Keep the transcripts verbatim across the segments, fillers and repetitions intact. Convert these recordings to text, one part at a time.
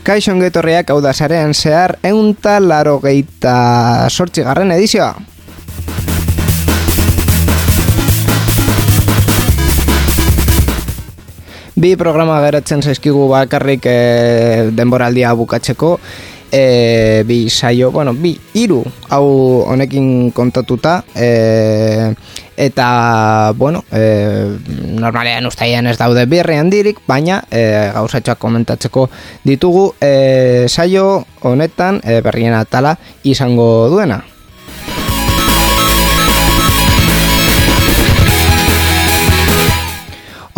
Kaixo ongetorriak, hau da sarean zehar ehunta laurogeita zortzigarren edizioa. Bi programa geratzen zaizkigu bakarrik e, denboraldia bukatzeko. E, bi saio, bueno, bi hiru hau honekin kontatuta, e, eta bueno, e, normalean ustaian ez daude berri handirik, baina e, gauzatxoak komentatzeko ditugu e, saio honetan e, berrien atala izango duena.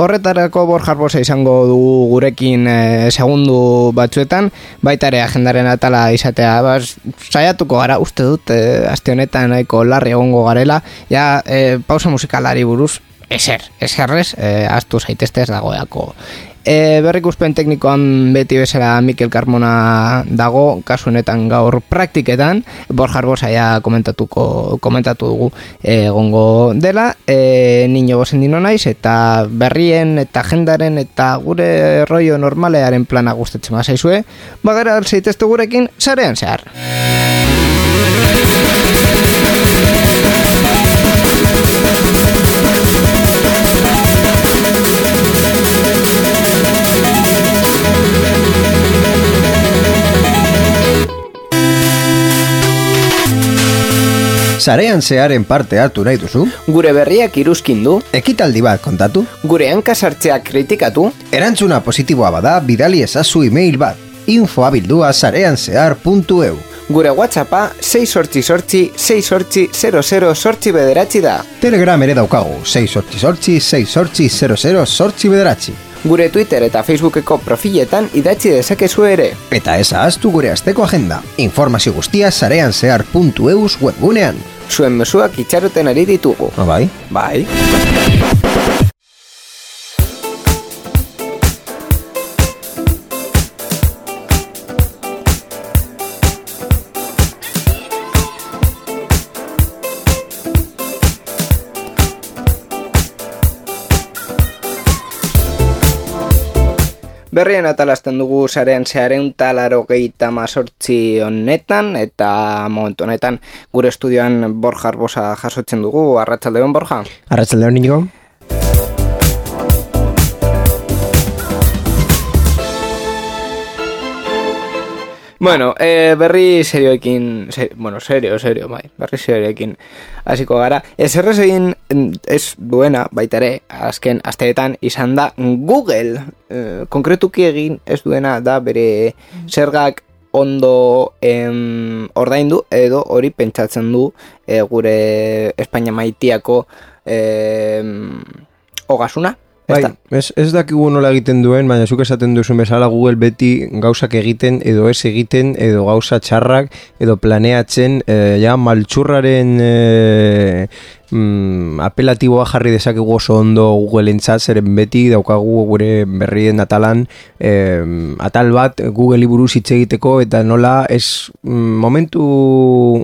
Horretarako Borja Arbosa izango dugu gurekin e, segundu batzuetan, baita ere agendaren atala izatea, bas, saiatuko gara, uste dut, e, aste honetan nahiko larri egongo garela, ja, e, pausa musikalari buruz, eser, eserrez, e, astu zaitezte ez dagoeako. E, berrikuspen teknikoan beti bezala Mikel Carmona dago, kasu honetan gaur praktiketan, Borja Arbosa ja komentatuko, komentatu dugu egongo dela, e, Niño Bosendino naiz, eta berrien eta agendaren eta gure rollo normalearen plana gustatzen bazaizue, bagara zaitezte gurekin sarean zehar. Sarean zearen parte hartu nahi duzu? Gure berriak iruzkin du? Ekitaldi bat kontatu? Gure hankasartzeak kritikatu? Erantzuna positiboa bada bidali ezazu email bat, infoabildua sarean zehar puntu eu. Gure WhatsAppa sei sortzi sortzi sei sortzi zero zero sortzi bederatzi da. Telegram ere daukagu, sei sortzi sortzi sei sortzi zero zero sortzi bederatzi. Gure Twitter eta Facebookeko profiletan idatzi dezakezu ere. Eta ez ahaztu gure asteko agenda. Informazio guztia sarean zehar puntu eus webgunean. Zuen mezuak itxaroten ari ditugu. Ah, bai? Bai. Berrien atalazten dugu sarean zearen talarrogeita mazortzi honetan, eta momentu honetan gure estudioan Borja Arbosa jasotzen dugu. Arratsaldeon, Borja. Arratsaldeon, Inigo. Bueno, eh, berri serioekin, ser, bueno, serio, serio, bai, berri serioekin hasiko gara. Eserrez egin ez duena, baita ere, azken asteetan izan da Google. Eh, konkretuki egin ez duena da bere zergak ondo em, ordaindu, edo hori pentsatzen du eh, gure Espainia maitiako em, ogasuna. Bai, ez, ez dakigu nola egiten duen, baina zuk esaten duzun bezala Google beti gauzak egiten edo ez egiten edo gauza txarrak edo planeatzen e, ja maltxurraren e, mm, apelatiboa jarri dezakegu oso ondo Google entzat, zeren beti daukagu gure berrien atalan e, atal bat Google buruz hitz egiteko eta nola ez mm, momentu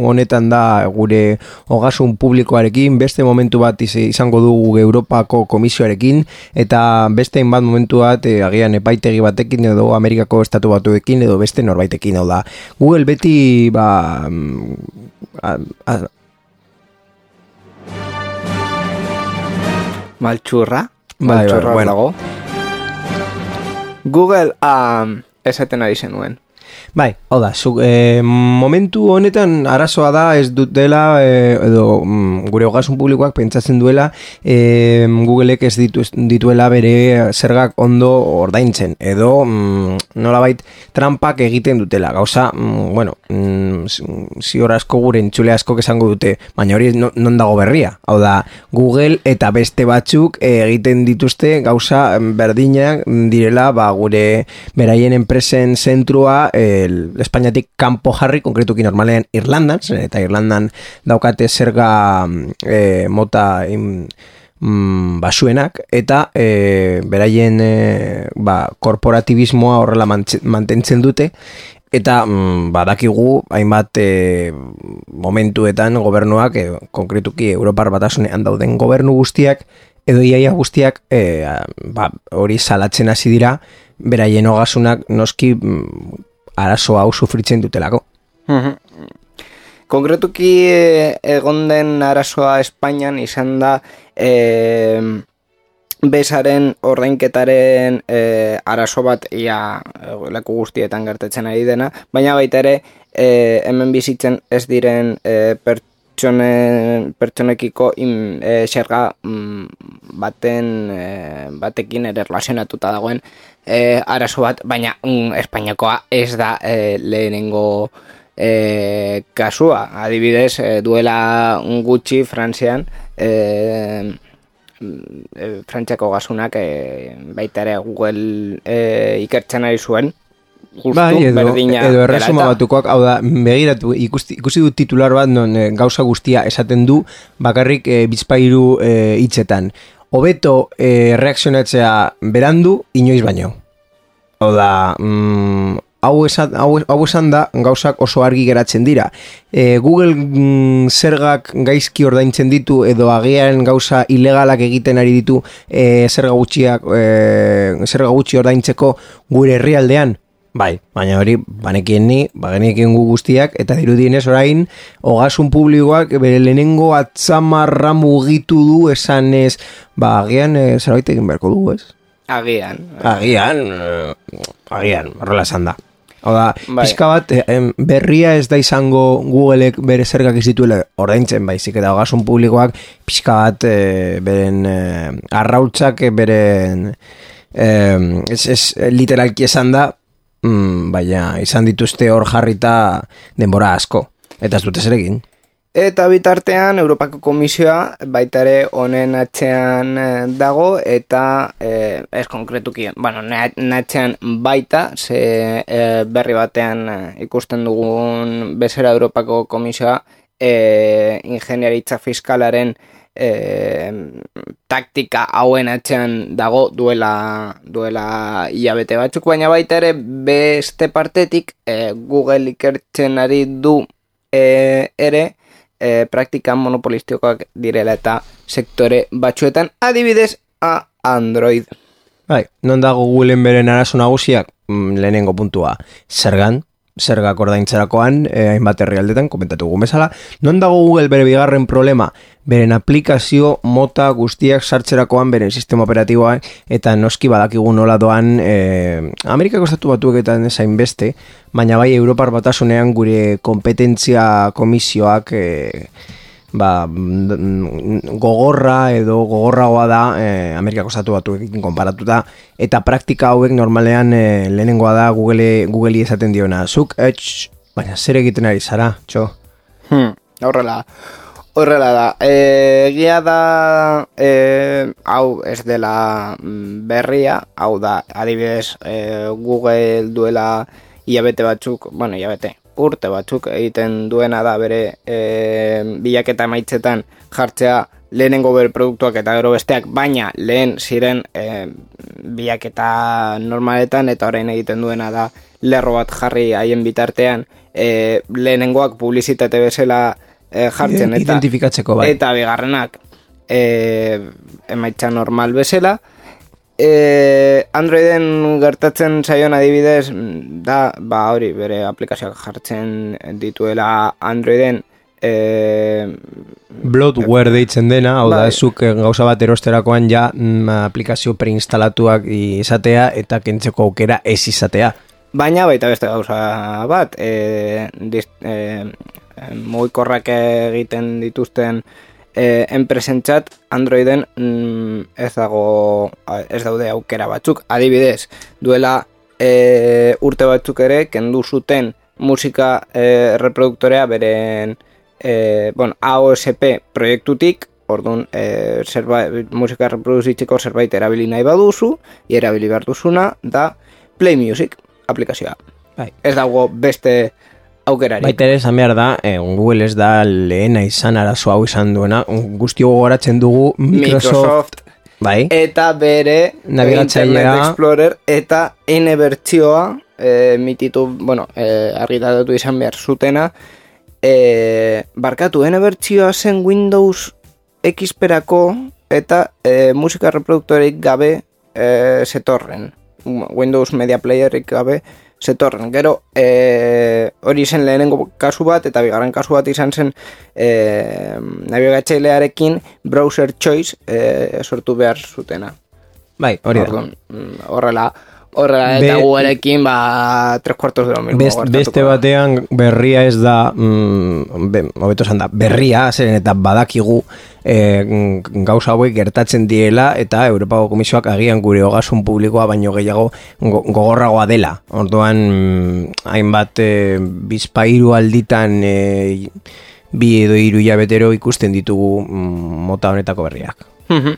honetan da gure ogasun publikoarekin, beste momentu bat izango dugu Europako komisioarekin eta beste hainbat momentu bat e, agian epaitegi batekin edo Amerikako estatu batuekin edo beste norbaitekin hau da. Google beti ba a, a, maltxurra, bai, maltxurra bai, bueno. dago. Google um, esaten ari zenuen. Bai, hau da, zu, e, momentu honetan arazoa da ez dut dela e, edo mm, gure ogasun publikoak pentsatzen duela e, Googleek ez ditu, dituela bere zergak ondo ordaintzen edo mm, nolabait trampak egiten dutela, gauza mm, bueno, mm, zior asko gure entzule asko esango dute, baina hori no, non dago berria, hau da Google eta beste batzuk e, egiten dituzte gauza berdinak direla ba, gure beraien enpresen zentrua el Espainiatik kanpo jarri, konkretuki normalean Irlandan, eta Irlandan daukate zerga e, mota in, mm, basuenak, eta e, beraien e, ba, korporatibismoa horrela mantentzen dute, eta mm, badakigu hainbat e, momentuetan gobernuak, e, konkretuki Europar Batasunean dauden gobernu guztiak, edo iaia guztiak e, ba, hori salatzen hasi dira, beraien ogasunak noski arazo hau sufritzen dutelako. Konkretuki egon den arazoa Espainian izan da e, bezaren ordainketaren e, arazo bat ia leku guztietan gertatzen ari dena, baina baita ere e, hemen bizitzen ez diren e, pertsone, pertsonekiko in, e, xerga mm, baten e, batekin ere relazionatuta dagoen e, arazo bat, baina mm, Espainiakoa ez da e, lehenengo E, kasua, adibidez, e, duela gutxi Frantzian e, e, Frantziako gasunak e, baita ere Google e, ikertzen ari zuen justu bai, edo, berdina edo erresuma batukoak, hau da, begiratu, ikusti, ikusi du titular bat non e, gauza guztia esaten du bakarrik e, bizpairu e, hitzetan. Hobeto e, reakzionatzea berandu, inoiz baino. Hau da, mm, Hau esan, hau, hau esan da gauzak oso argi geratzen dira. E, Google mm, zergak gaizki ordaintzen ditu edo agian gauza ilegalak egiten ari ditu e, zerga gutxiak e, zerga gutxi ordaintzeko gure herrialdean. Bai, baina hori banekien ni, bagenekien gu guztiak, eta dirudienez orain ogasun publikoak bere lehenengo atzamarra mugitu du esanez, ba agian e, zerbait egin beharko du, ez? Agian. Agian, eh, agian, horrela esan da. Hau da, bai. Pixka bat, eh, berria ez da izango Googleek bere zergak izituela ordaintzen baizik, eta ogasun publikoak pixka bat eh, beren eh, arrautzak, beren eh, ez, ez literalki esan da, mm, baina izan dituzte hor jarrita denbora asko, eta ez dute zeregin. Eta bitartean Europako Komisioa baita ere honen atzean dago eta e, ez konkretuki, bueno, natzean baita, ze e, berri batean ikusten dugun bezera Europako Komisioa e, ingeniaritza fiskalaren e, taktika hauen atzean dago duela, duela hilabete batzuk, baina baita ere beste partetik e, Google ikertzen ari du e, ere E, praktikan monopolistikoak direla eta sektore batzuetan, adibidez a Android. Bai, non dago Googleen beren arazo nagusiak? Mm, lehenengo puntua, zergan, zergak ordaintzerakoan, eh, hainbat herrialdetan, komentatu gugun bezala. Non dago Google bere bigarren problema? Beren aplikazio mota guztiak sartzerakoan beren sistema operatiboan, eta noski badakigu nola doan eh, Amerikako estatu batueketan ezain beste, baina bai Europar Batasunean gure kompetentzia komisioak eh, ba, gogorra edo gogorragoa da eh, Amerikako estatu batuekin konparatuta, eta praktika hauek normalean eh, lehenengoa da Google, Google esaten diona, zuk, etx, baina zer egiten ari zara, txo? Hmm, horrela Horrela da, egia da e, hau ez dela berria, hau da, adibidez e, Google duela hilabete batzuk, bueno, hilabete, urte batzuk egiten duena da bere e, bilaketa maitzetan jartzea lehenengo bere produktuak eta gero besteak, baina lehen ziren e, bilaketa normaletan eta orain egiten duena da lerro bat jarri haien bitartean e, lehenengoak publizitate bezala E, jartzen eta identifikatzeko bai. Eta bigarrenak e, emaitza normal bezala e, Androiden gertatzen zaion adibidez da, ba hori bere aplikazioak jartzen dituela Androiden e, bloatware deitzen dena, hau da, ezuk gauza bat erosterakoan ja mm, aplikazio preinstalatuak izatea eta kentzeko aukera ez izatea. Baina baita beste gauza bat e, dist, e, mugikorrak egiten dituzten e, enpresentzat Androiden mm, ez dago ez daude aukera batzuk, adibidez duela e, urte batzuk ere kendu zuten musika e, reproduktorea beren e, bueno, A O S P proiektutik, orduan e, zerbait, musika reproduzitzeko zerbait erabili nahi baduzu, erabili behar duzuna da Play Music aplikazioa. Bai. Ez dago beste aukerari. Baita ere esan behar da, eh, Google ez da lehena izan arazo hau izan duena, guztio gogoratzen dugu Microsoft, Microsoft bai. Eta bere nabigatzailea Internet Explorer eta N bertsioa e, mititu, bueno, e, argitaratu izan behar zutena e, barkatu, N bertsioa zen Windows X perako eta e, musika reproduktoreik gabe e, zetorren. Windows Media Playerik gabe zetorren. Gero, e, hori zen lehenengo kasu bat, eta bigarren kasu bat izan zen e, nabigatzailearekin browser choice e, sortu behar zutena. Bai, hori da. Orduan, horrela, horrela eta Be- guarekin, ba, tres cuartos de lo mismo. Best, beste batean berria ez da, mm, be, hobeto esan da, berria, zeren eta badakigu e, gauza hauek gertatzen diela eta Europako Komisioak agian gure ogasun publikoa baino gehiago go, gogorragoa dela. Orduan, mm, hainbat e, bizpairu alditan e, bi edo hiru hilabetero ikusten ditugu mm, mota honetako berriak. Mhm.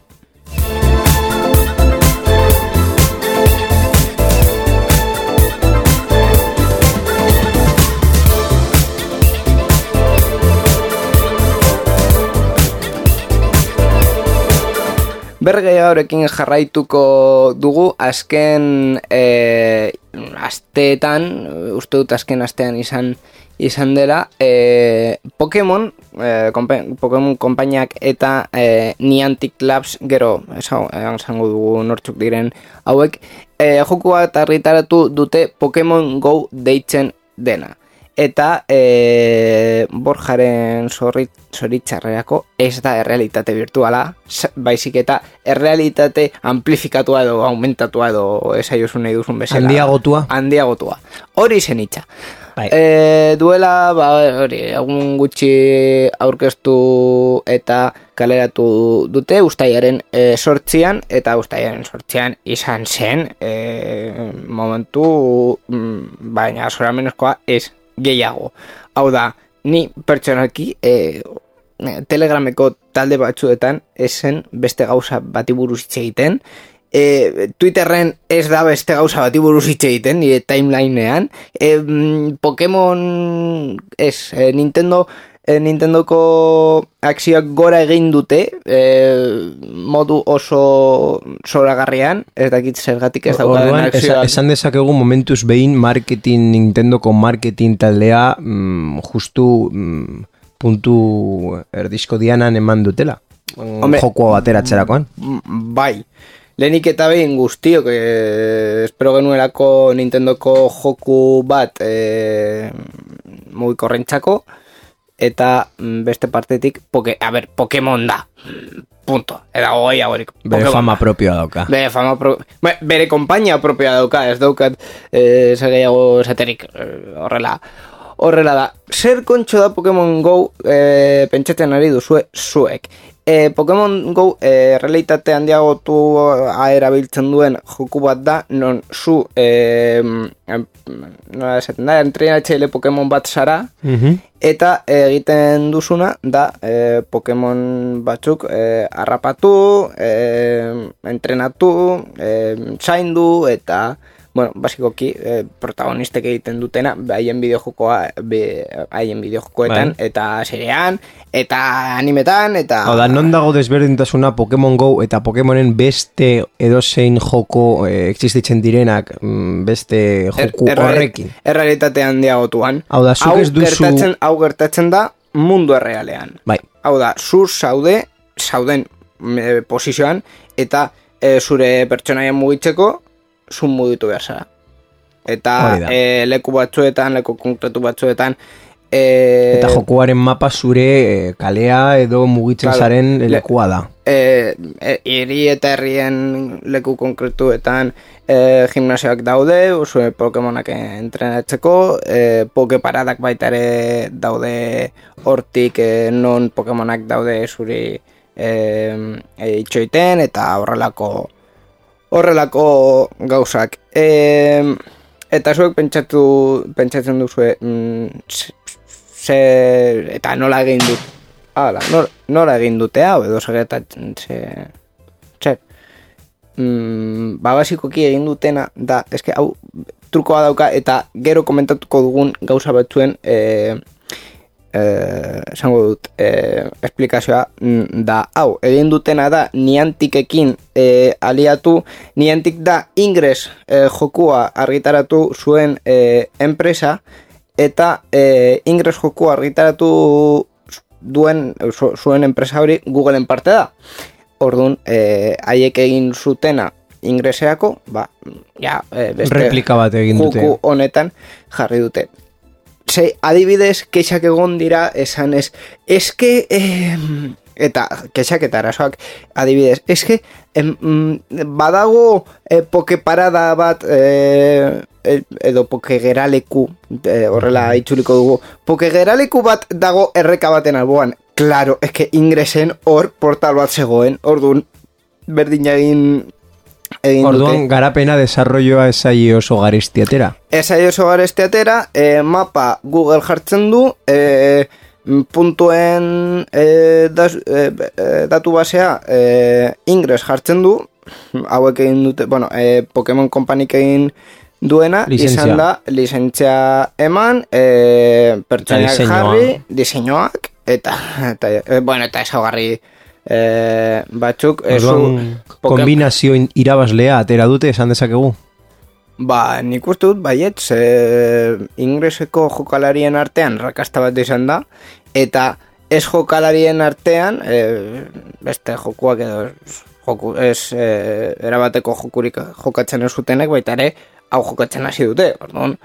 Bergeiagorekin jarraituko dugu azken e, asteetan, uste dut azken astean izan izan dela, e, Pokemon, e, kompa, Pokemon konpainiak eta e, Niantic Labs, gero, esango dugu nortzuk diren hauek, e, joku bat argitaratu dute Pokemon Go deitzen dena. Eta e, Borjaren zorrit, zoritxarreako ez da errealitate virtuala, baizik eta errealitate amplifikatua edo aumentatua edo esaiozun nahi duzun bezala. Handiagotua. Handiagotua. Hori zen itxa. Bai. E, duela, ba, hori, egun gutxi aurkeztu eta kaleratu dute ustaiaren e, sortzian, eta ustaiaren sortzian izan zen e, momentu, mm, baina zoramenezkoa ez gehiago. Hau da, ni pertsonalki e, Telegrameko talde batzuetan esen beste gauza bati buruz hitz egiten. E, Twitterren ez da beste gauza bati buruz hitz egiten, nire timelinean. E, Pokemon ez, e, Nintendo e, Nintendoko akzioak gora egin dute e, modu oso zoragarrian, ez dakit zergatik ez daukaden Orduan, akzioak. esan dezakegu momentuz behin marketing, Nintendoko marketing taldea mm, justu mm, puntu erdizko dianan eman dutela. Hombre, jokoa bateratzerakoan. Bai. Lehenik eta behin guztiok, eh, espero genuelako Nintendoko joku bat eh, mugikorrentzako, eta beste partetik, poke, a ber, Pokemon da. Punto. Eta goi agorik. Bere fama propioa dauka. Bere fama pro... Be, bere kompainia propioa dauka, ez daukat eh, zer gehiago esaterik eh, horrela. Horrela da. Zer kontxo da Pokemon Go eh, pentsatzen ari duzue zuek? E, Pokemon Go e, realitate handiagotu erabiltzen duen joku bat da, non zu e, nola esaten da, entrenatzaile Pokemon bat zara, Mhm. eta egiten duzuna da e, Pokemon batzuk e, harrapatu, e, entrenatu, e, zaindu, eta bueno, basikoki eh, protagonistek egiten dutena haien bideojokoa haien bideojokoetan Bai. eta serean eta animetan eta Hau da, non dago desberdintasuna Pokemon Go eta Pokemonen beste edozein joko eh, existitzen direnak mm, beste joku Er- erre- horrekin. errealitate handiagotuan. Hau da, zuk Hau ez duzu- gertatzen, hau gertatzen da mundu errealean. Bai. Hau da, zur zaude, zauden e, posizioan, eta e, zure pertsonaia mugitzeko, zun mugitu behar zara. Eta Hori da. e, leku batzuetan, leku konkretu batzuetan, e, Eta jokuaren mapa zure eh, kalea edo mugitzen Claro. zaren Le- lekua da. e, e, hiri eta herrien leku konkretuetan e, gimnasioak daude, zure Pokemonak entrenatzeko, e, Pokeparadak baita ere daude hortik e, non Pokemonak daude zuri e, e, itxoiten, eta horrelako horrelako gauzak. E, eta zuek pentsatu, pentsatzen duzue mm, ze, eta nola egin dut hala, nola, nola egin dute hau edo segetatzen ze, zer mm, ba basikoki egin dutena da, eske hau trukoa dauka, eta gero komentatuko dugun gauza batzuen e, Eh, esango dut eh, esplikazioa mm, da hau, egin dutena da Niantikekin eh, aliatu. Niantic da Ingress eh, jokua argitaratu zuen eh, enpresa, eta eh, Ingress jokua argitaratu duen zu, zuen enpresa hori Googleen parte da. Orduan, eh, haiek egin zutena ingreseako, ba, ja, e, beste replika bat egin dute. Joku honetan jarri dute. Ze, adibidez, kexak egon dira, esan ez, eske, eh, eta kexak eta arazoak, adibidez, eske, em, badago eh, pokeparada bat, eh, edo pokegeraleku, eh, horrela itzuliko dugu, pokegeraleku bat dago erreka baten alboan. Claro, eske ingresen hor portal bat zegoen, orduan berdin egin egin orduan dute. Garapena desarrolloa esai oso garestiatera. Esai oso garestiatera, eh, mapa Google jartzen du, eh, puntuen eh, das, eh, datu basea eh, ingres jartzen du, hauek egin dute, bueno, eh, Pokemon Companyk egin duena, licentzia. Izan da, lizentzia eman, eh, pertsoniak jarri, diseinuak, eta, eta eh, bueno, eta esaugarri eh, batzuk, orduan, kombinazio irabazlea atera dute, esan dezakegu? Ba, nik uste dut, baiet, ze ingreseko jokalarien artean rakasta bat izan da, eta ez jokalarien artean, e, beste jokuak edo joku, ez e, erabateko jokurik jokatzen ez zutenek, baita ere, hau jokatzen hasi dute, orduan,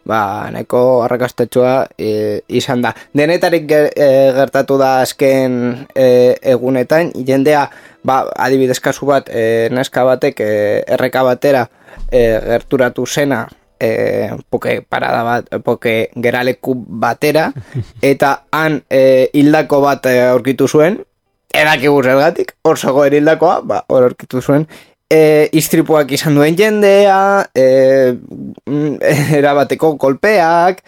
ba, neko arrakastatxoa e, izan da. Denetarik ger, e, gertatu da azken e, egunetan, jendea, ba, adibidez kasu bat, e, neska batek e, erreka batera e, gerturatu zena, e, poke parada bat, poke geraleku batera, eta han e, hildako bat e, aurkitu zuen, edakigu zergatik, hor zegoen hildakoa, ba, hor aurkitu zuen, E, istripuak izan duen jendea, e, erabateko kolpeak,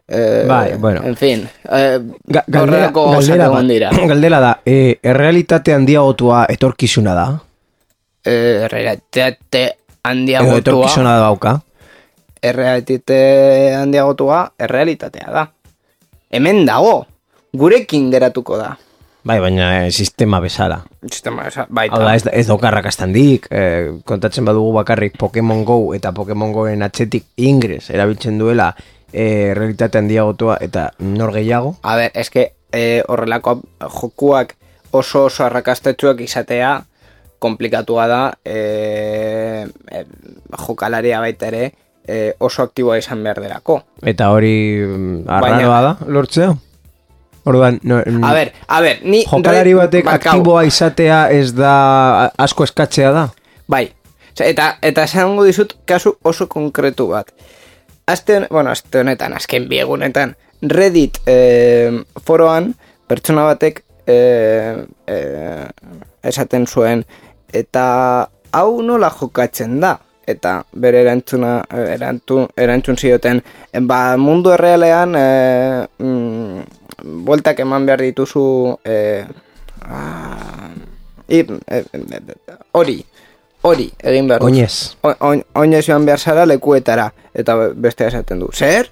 e, bai, bueno. En fin, e, Ga galdera, galdera, dira. Galdera da, e, errealitate handiagotua etorkizuna da? E, errealitate handiagotua... Edo etorkizuna da bauka? Errealitate handiagotua errealitatea da. Hemen dago, gurekin geratuko da. Bai, baina e, sistema bezala. Sistema bezala, baita. Hau da, ez, ez daukarrakastandik, e, kontatzen badugu bakarrik Pokemon Go eta Pokemon Goen atzetik ingres erabiltzen duela e, realitate handiagotua eta nor gehiago? A ber, eske e, horrelako jokuak oso oso arrakastetsuak izatea komplikatua da, e, e, jokalaria baita ere e, oso aktiboa izan behar derako. Eta hori arraroa da, lortzea? Orduan, no, a ber, a ber, ni... Jokalari batek aktiboa izatea ez da asko eskatzea da? Bai, eta eta esango dizut kasu oso konkretu bat. Aste, bueno, aste honetan, azken biegunetan, Reddit eh, foroan, pertsona batek eh, eh, esaten zuen, eta hau nola jokatzen da? Eta bere erantzuna, erantzun, erantzun zioten, ba, mundu errealean, eh, mm, bueltak eman behar dituzu eh, ah, hori, hori egin behar dut. Oinez. Oinez joan behar zara lekuetara, eta beste esaten du. Zer?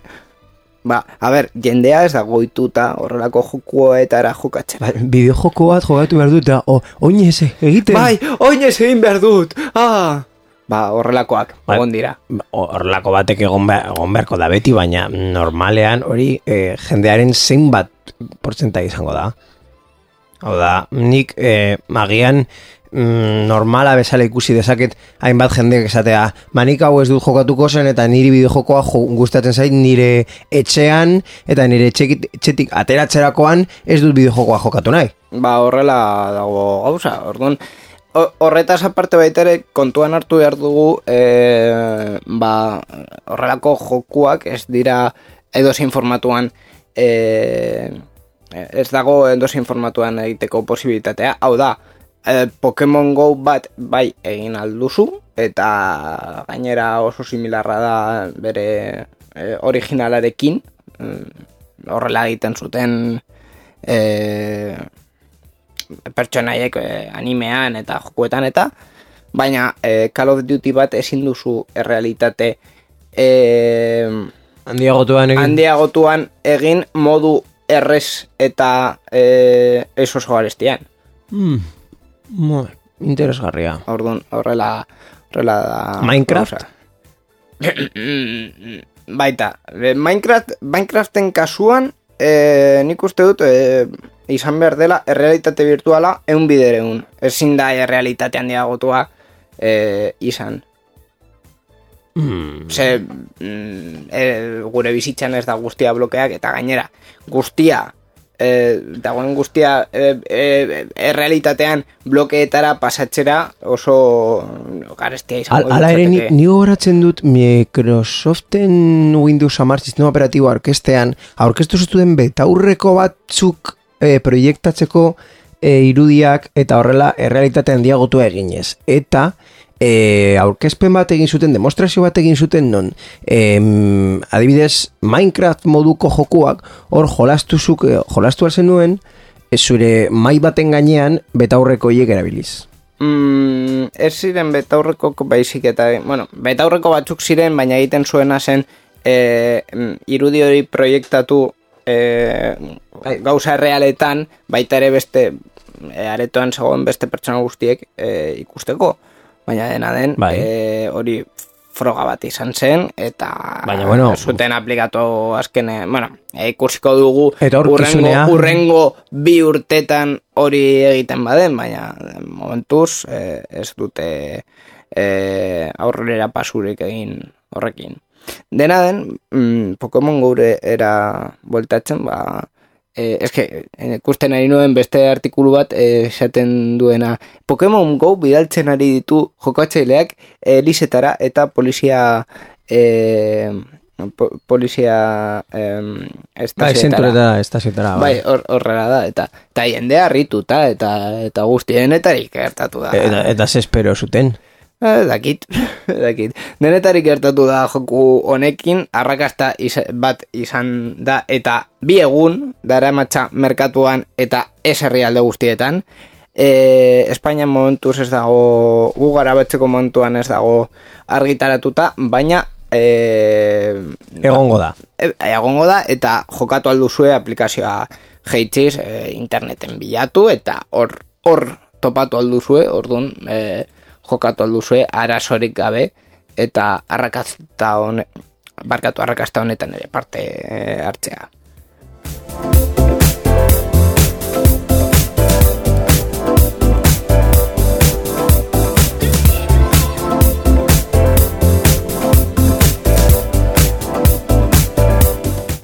Ba, a ber, jendea ez da goituta horrelako jokuetara jokatzen. Ba, bideo joko bat jokatu behar dut, oinez egiten. Bai, oinez egin behar dut. Ah! Ba, horrelakoak, ba, egon dira. Horrelako batek egon, be, egon beharko da beti, baina normalean hori e, jendearen zein bat portzentai izango da. Hau da, nik e, magian mm, normala bezala ikusi dezaket hainbat jendeak esatea, ba nik hau ez dut jokatuko zen eta niri bideojokoa jo, gustatzen zait nire etxean eta nire etxetik, etxetik ateratzerakoan ez dut bideojokoa jokatu nahi. Ba, horrela dago gauza, orduan... Horretaz aparte baita ere kontuan hartu behar dugu e, ba, horrelako jokuak ez dira edozein formatuan e, ez dago edozein formatuan egiteko posibilitatea. Hau da, e, Pokemon Go bat bai egin alduzu eta gainera oso similarra da bere e, originalarekin e, horrela egiten zuten e, pertsonaiek eh, animean eta jokuetan eta baina eh, Call of Duty bat ezin duzu errealitate eh, handiagotuan egin handiagotuan egin modu errez eta eh, ez oso garestian. Mm. Mo, interesgarria. Orduan, horrela horrela da Minecraft? Baita, Minecraft Minecraften kasuan eh, nik uste dut eh, izan behar dela errealitate virtuala eun bidereun. Ezin da errealitate handiagotua e, izan. Mm. Ze, mm, e, gure bizitzan ez da guztia blokeak, eta gainera, guztia, e, dagoen guztia e, e, errealitatean blokeetara pasatzera oso garestia izango. Al, ala ere, ni, ni horatzen dut Microsoften Windows hamar sistema operatibo aurkestean, aurkeztu zuten betaurreko batzuk e, proiektatzeko e, irudiak eta horrela errealitatean diagotu eginez. Eta E, aurkezpen bat egin zuten, demostrazio bat egin zuten non, em, adibidez Minecraft moduko jokuak hor jolastuzuk, jolastu alzen nuen e, zure mai baten gainean betaurreko hiek erabiliz. Mm, ez ziren betaurreko baizik eta, bueno, betaurreko batzuk ziren, baina egiten zuena zen e, irudi hori proiektatu e, gauza realetan, baita ere beste e, aretoan zegoen beste pertsona guztiek e, ikusteko. Baina dena den, bai. e, hori froga bat izan zen, eta baina, bueno, zuten aplikatu azkene, bueno, ikusiko dugu urrengo, urrengo bi urtetan hori egiten baden, baina momentuz e, ez dute e, aurrera pasurik egin horrekin. Dena den, mm, Pokemon gure era bueltatzen, ba, Eh, eske, ikusten ari nuen beste artikulu bat esaten eh, duena Pokemon Go bidaltzen ari ditu jokatzaileak elizetara eta polizia eh, po, polizia eh, estazioetara estazioetara bai, horrela da eta eta jendea harrituta eta eta guztienetarik gertatu da eta, eta ze espero zuten Eh, dakit, dakit. Denetarik gertatu da joku honekin, arrakasta iz, bat izan da, eta bi egun, dara matxa merkatuan eta ez herrialde guztietan. E, Espainian momentuz ez dago, gu garabatzeko momentuan ez dago argitaratuta, baina e, egongo da. E, egongo da, eta jokatu alduzue aplikazioa jeitziz, e, interneten bilatu, eta hor hor topatu alduzue, orduan, e, jokatu alduzue arazorik gabe eta arrakasta hone, barkatu arrakasta honetan ere parte hartzea.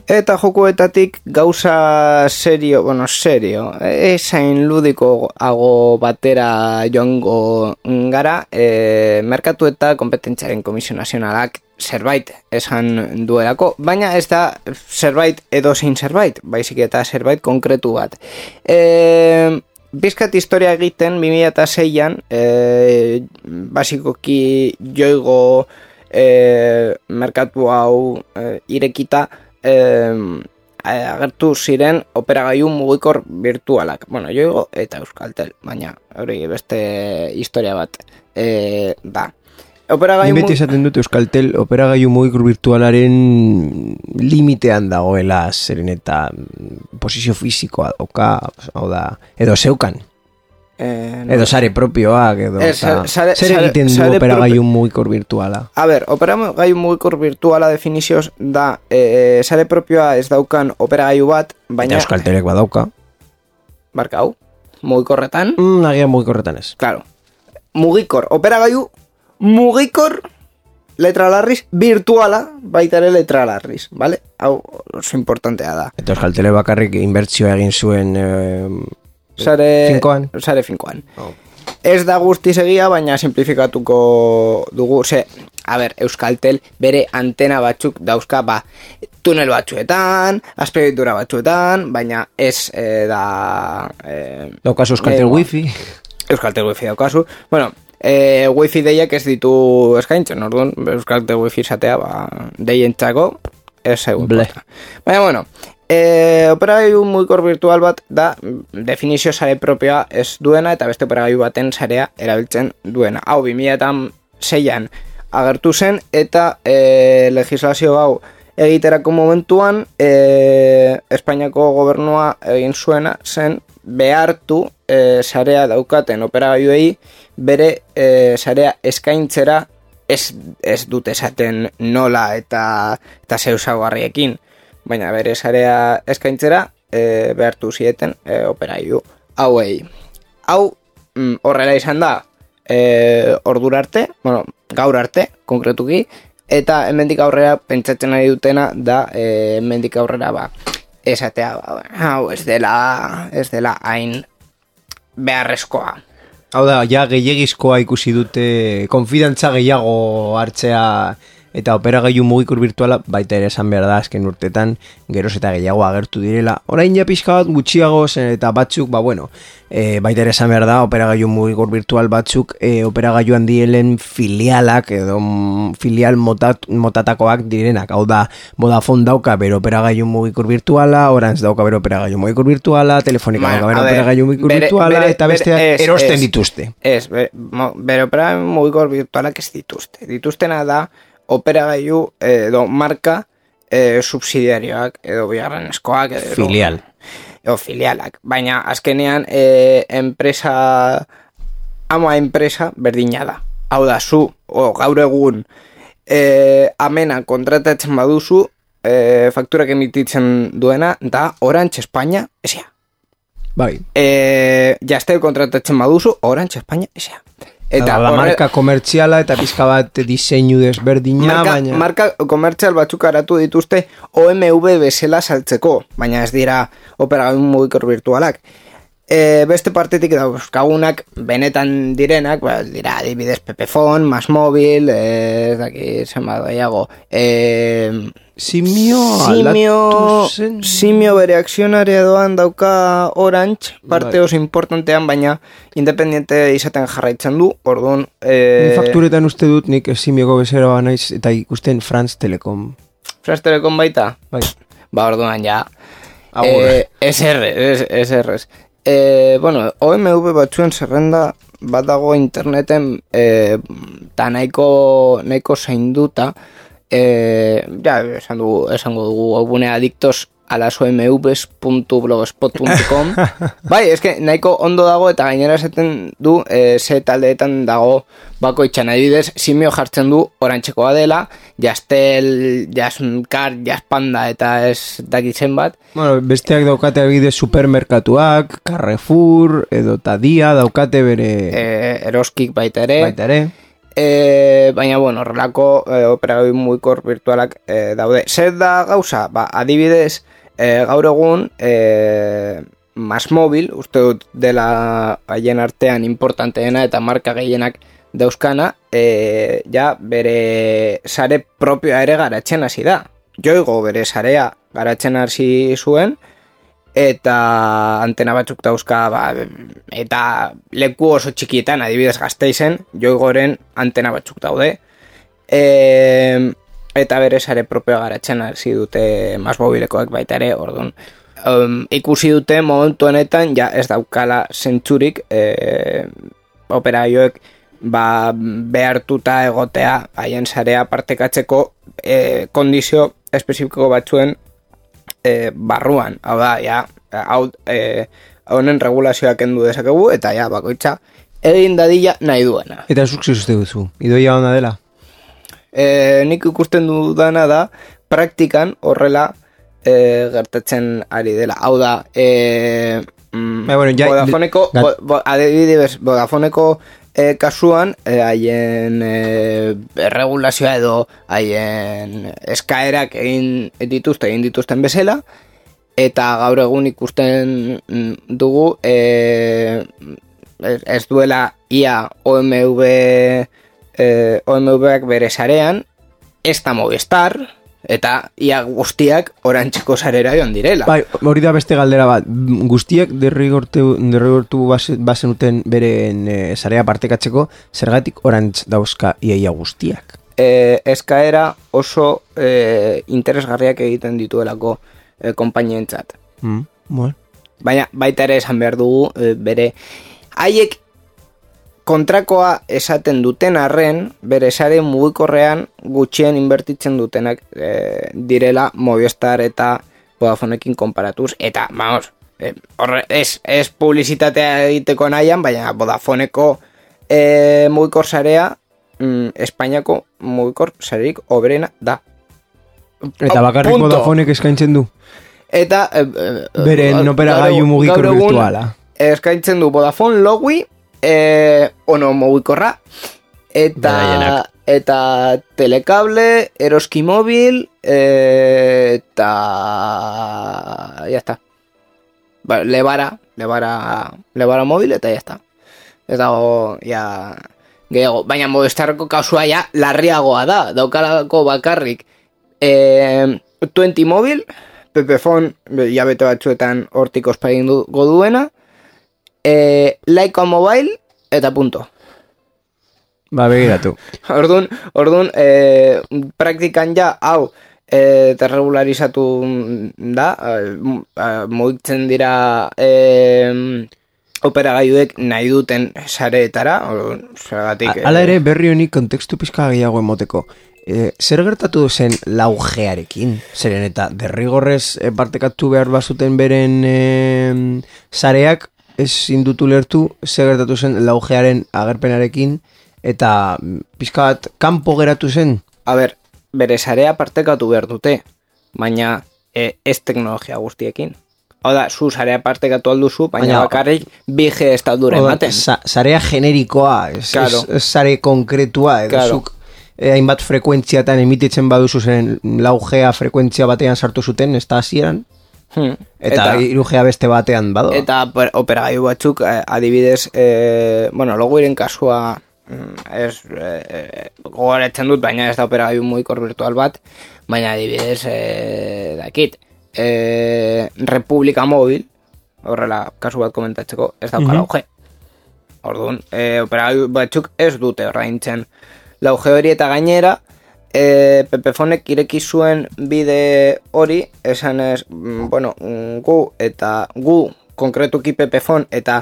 Eta jokuetatik gauza serio, bueno, serio, esain ludikoago batera joango gara, e, merkatu eta kompetentziaren komisio nazionalak zerbait esan duelako, baina ez da zerbait edo zein zerbait, baizik eta zerbait konkretu bat. E, Bizkat historia egiten, bi mila seian, e, basikoki joigo e, merkatu hau e, irekita, Eh, agertu ziren operagailu mugikor virtualak. Bueno, joigo eta Euskaltel, baina hori beste historia bat eh, da. Operagailu beti esaten dut Euskaltel operagailu mugikor virtualaren limitean dagoela, zeren eta posizio fisikoa dauka, hau da, edo zeukan. Eh, no. Edo sare propioak, edo eh, sare, sare, zer egiten du operagailu mugikor virtuala? A ber, operagailu mugikor virtuala definizioz da eh, sare propioa ez daukan operagailu bat, baina... Eta Euskaltelek badauka. Barkau, mugikorretan? Mm, agian mugikorretan ez. Claro, mugikor, operagailu mugikor letra larriz virtuala, baita ere letra larriz, vale? Hau oso importantea da. Eta Euskaltelek bakarrik inbertsioa egin zuen... Eh, Sare finkoan. Sare finkoan. Oh. Ez da guztiz egia, baina simplifikatuko dugu. Ze, a ber, Euskaltel bere antena batzuk dauzka, ba, tunel batzuetan, azpiegitura batzuetan, baina ez eh, da... Eh, daukazu Euskaltel eh, wifi. Euskaltel wifi daukazu. Bueno, eh, wifi deiak ez ditu eskaintzen, orduan, Euskaltel wifi izatea, ba, deientzako, ez egun. Baina, bueno... E, operagailu mugikor virtual bat da definizio sare propioa ez duena eta beste operagailu baten sarea erabiltzen duena. Hau bi mila seian agertu zen eta e, legislazio hau egiterako momentuan e, Espainiako gobernua egin zuena zen behartu e, sarea daukaten operagailuei bere e, sarea eskaintzera ez, ez dute esaten nola eta, eta zeusagarriekin. Baina bere sarea eskaintzera e, behartu zieten e, operailu hauei. Hau mm, horrela izan da e, ordura arte, bueno, gaur arte, konkretuki, eta hemendik aurrera pentsatzen ari dutena da e, hemendik aurrera ba, esatea, ba, hau ez dela, ez dela hain beharrezkoa. Hau da, ja gehiagizkoa ikusi dute, konfidantza gehiago hartzea eta operagailu mugikur virtuala baita ere esan behar da azken urtetan geroz eta gehiago agertu direla. Orain ja pixka bat gutxiago zen eta batzuk, ba bueno, e, baita ere esan behar da operagailu mugikur virtual batzuk e, operagailu handielen filialak edo mm, filial motat, motatakoak direnak. Hau da, Vodafone dauka bero operagailu mugikur virtuala, Orange dauka bero operagailu mugikur virtuala, Telefonica dauka bero operagailu mugikur virtuala eta besteak erosten es, dituzte. Ez, bere, bere operagailu mugikur virtualak ez dituzte. Dituztena da operagailu edo marka e, subsidiarioak edo bigarrenezkoak edo filial edo filialak, baina azkenean e, enpresa ama enpresa berdina da. Hau da, zu o, gaur egun e, amena kontratatzen baduzu e, fakturak emititzen duena da Orange España S A. Bai. E, Jaztel kontratatzen baduzu Orange España S A. Eta la marka komertziala eta pizka bat diseinu desberdina, marka, baina... Marka komertzial batzuk aratu dituzte O M V bezala saltzeko, baina ez dira operagailu mugikor virtualak. E, beste partetik dauzkagunak benetan direnak, ba, dira adibidez Pepefon, Masmobil, ez daki zenbat daiago. E, Simio, simio, simio bere akzionarea doan dauka Orange, parte bai. Oso importantean, baina independiente izaten jarraitzen du, orduan... E... Fakturetan uste dut nik Simioko bezero naiz eta ikusten France Telecom. France Telecom baita? Bai. Ba, orduan ja. E, S R, S R. E, bueno, O M V batzuen zerrenda bat dago interneten e, ta nahiko, nahiko zainduta. Eh, ja, esan dugu, esango dugu webune adictos a las omvs punto blogspot punto com. Bai, eske nahiko ondo dago eta gainera esaten du eh, ze taldeetan dago bakoitzan. Adibidez, Simio jartzen du Orantzekoa dela, Jaztel, Jazzkar, Jazzpanda eta ez dakitzen bat. Bueno, besteak daukate adibidez supermerkatuak, Carrefour edo Tadia daukate bere eh, Eroskik baita ere. Baita ere. E, baina, bueno, horrelako e, operagailu mugikor virtualak e, daude. Zer da gauza? Ba, adibidez, e, gaur egun e, Masmobil, uste dut dela haien artean importanteena eta marka gehienak dauzkana, e, ja bere sare propioa ere garatzen hasi da. Joigo bere sarea garatzen hasi zuen, eta antena batzuk dauzka, ba, eta leku oso txikietan, adibidez Gasteizen, Joigoren antena batzuk daude. E, eta bere sare propioa garatzen hasi dute Masmobilekoak baita ere, orduan. Um, ikusi dute momentu honetan, ja ez daukala zentzurik, e, operagailuek ba, behartuta egotea haien sarea partekatzeko e, kondizio espezifiko batzuen E, barruan, hau da, ja, hau, e, honen regulazioak kendu dezakegu, eta ja, bakoitza, egin dadila nahi duena. Eta zuk zuzte duzu, idoia ona dela? E, nik ikusten dudana da, praktikan horrela e, gertatzen ari dela. Hau da, e, mm, ba, bueno, ja, Vodafoneko, bo, bo, adibidez, Vodafoneko E, kasuan, haien e, e, regulazioa edo haien eskaerak egin dituzte, egin dituzten bezala, eta gaur egun ikusten dugu e, ez duela ia O M V e, O M V-ak bere sarean, ez da Movistar, eta ia guztiak Orantzeko sarera joan direla. Bai, hori da beste galdera bat. Guztiak derrigortu, derrigortu bazenuten beren e, sarea partekatzeko, zergatik Orantz dauzka iaia guztiak? E, eskaera oso e, interesgarriak egiten dituelako e, konpainientzat. Mm, bueno. Baina baita ere esan behar dugu, e, bere haiek kontrakoa esaten duten arren, bere sare mugikorrean gutxien inbertitzen dutenak e, direla Movistar eta Vodafonekin konparatuz. Eta, vamos, e, horre, ez, ez publizitatea egiteko nahian, baina Vodafoneko e, mugikor sarea mm, Espainiako mugikor sarerik oberena da. Eta bakarrik Punto. Vodafonek eskaintzen du? Eta... E, e, beren operagailu mugikor virtuala. Eskaintzen du Vodafone Logi, e, ono mugikorra, eta, Beraienak. eta telekable, eroski mobil, e, eta ya está. Ba, lebara, lebara, lebara mobil, eta ya está. Ez dago, ja, gehiago. Baina Movistarreko kasua ja larriagoa da. Daukalako bakarrik e, twenty mobil, Pepefon, ja bete batzuetan hortik ospain dugu duena, e, Laika Mobile, eta punto. Ba, begiratu. Orduan, orduan e, praktikan ja, hau, e, terregularizatu da, e, mugitzen dira e, operagailuek nahi duten sareetara, zergatik... Hala ere, berri honi kontekstu pizka gehiago emoteko. E, zer gertatu zen laugearekin? Zeren eta derrigorrez e, partekatu behar bazuten beren e, sareak, ez indutu lertu, zer gertatu zen laugearen agerpenarekin, eta pizka bat kanpo geratu zen? A ber, bere sarea partekatu behar dute, baina e, ez teknologia guztiekin. Hau da, zu sarea partekatu alduzu, baina, baina bakarrik bi G estaldura ematen. Sa, sarea generikoa, ez, claro. ez, ez sare konkretua, edo claro. zuk eh, hainbat frekuentziatan emititzen baduzu zen lau G frekuentzia batean sartu zuten, ez da hasieran? Hmm. Eta hiru G beste batean bado. Eta operagailu batzuk, eh, adibidez, eh, bueno, logoiren kasua ez eh, gogoratzen dut, baina ez da operagailu mugikor virtual bat, baina adibidez eh, dakit eh, Republika Mobil, horrela kasu bat komentatzeko, ez dauka lau G. Orduan, eh, operagailu batzuk ez dute ordaintzen lau G hori, eta gainera E, Pepefonek ireki zuen bide hori, esan ez, bueno, gu eta gu konkretuki Pepefon eta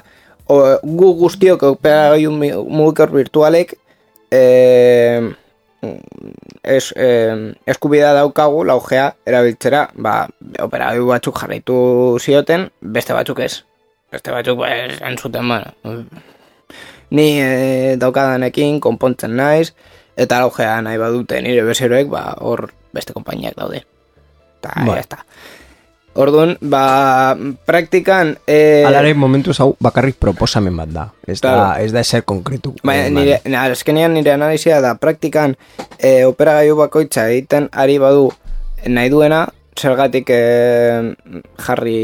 o, gu guztiok operagailu mugikor virtualek e, es, e, eskubidea daukagu lau G erabiltzera, ba, operagailu batzuk jarraitu zioten, beste batzuk ez. Beste batzuk ez entzuten, bueno, ni e, daukadanekin konpontzen naiz, eta laugea nahi badute nire bezeroek, ba, hor beste konpainiak daude. Eta, ba. Ya está. Orduan, ba, praktikan... E... Alare, momentuz hau bakarrik proposamen bat da. Ez claro. da, ez da eser konkretu. Ba, nire, azkenean nire analizia da, praktikan e, operagailu bakoitza egiten ari badu nahi duena, zergatik e, jarri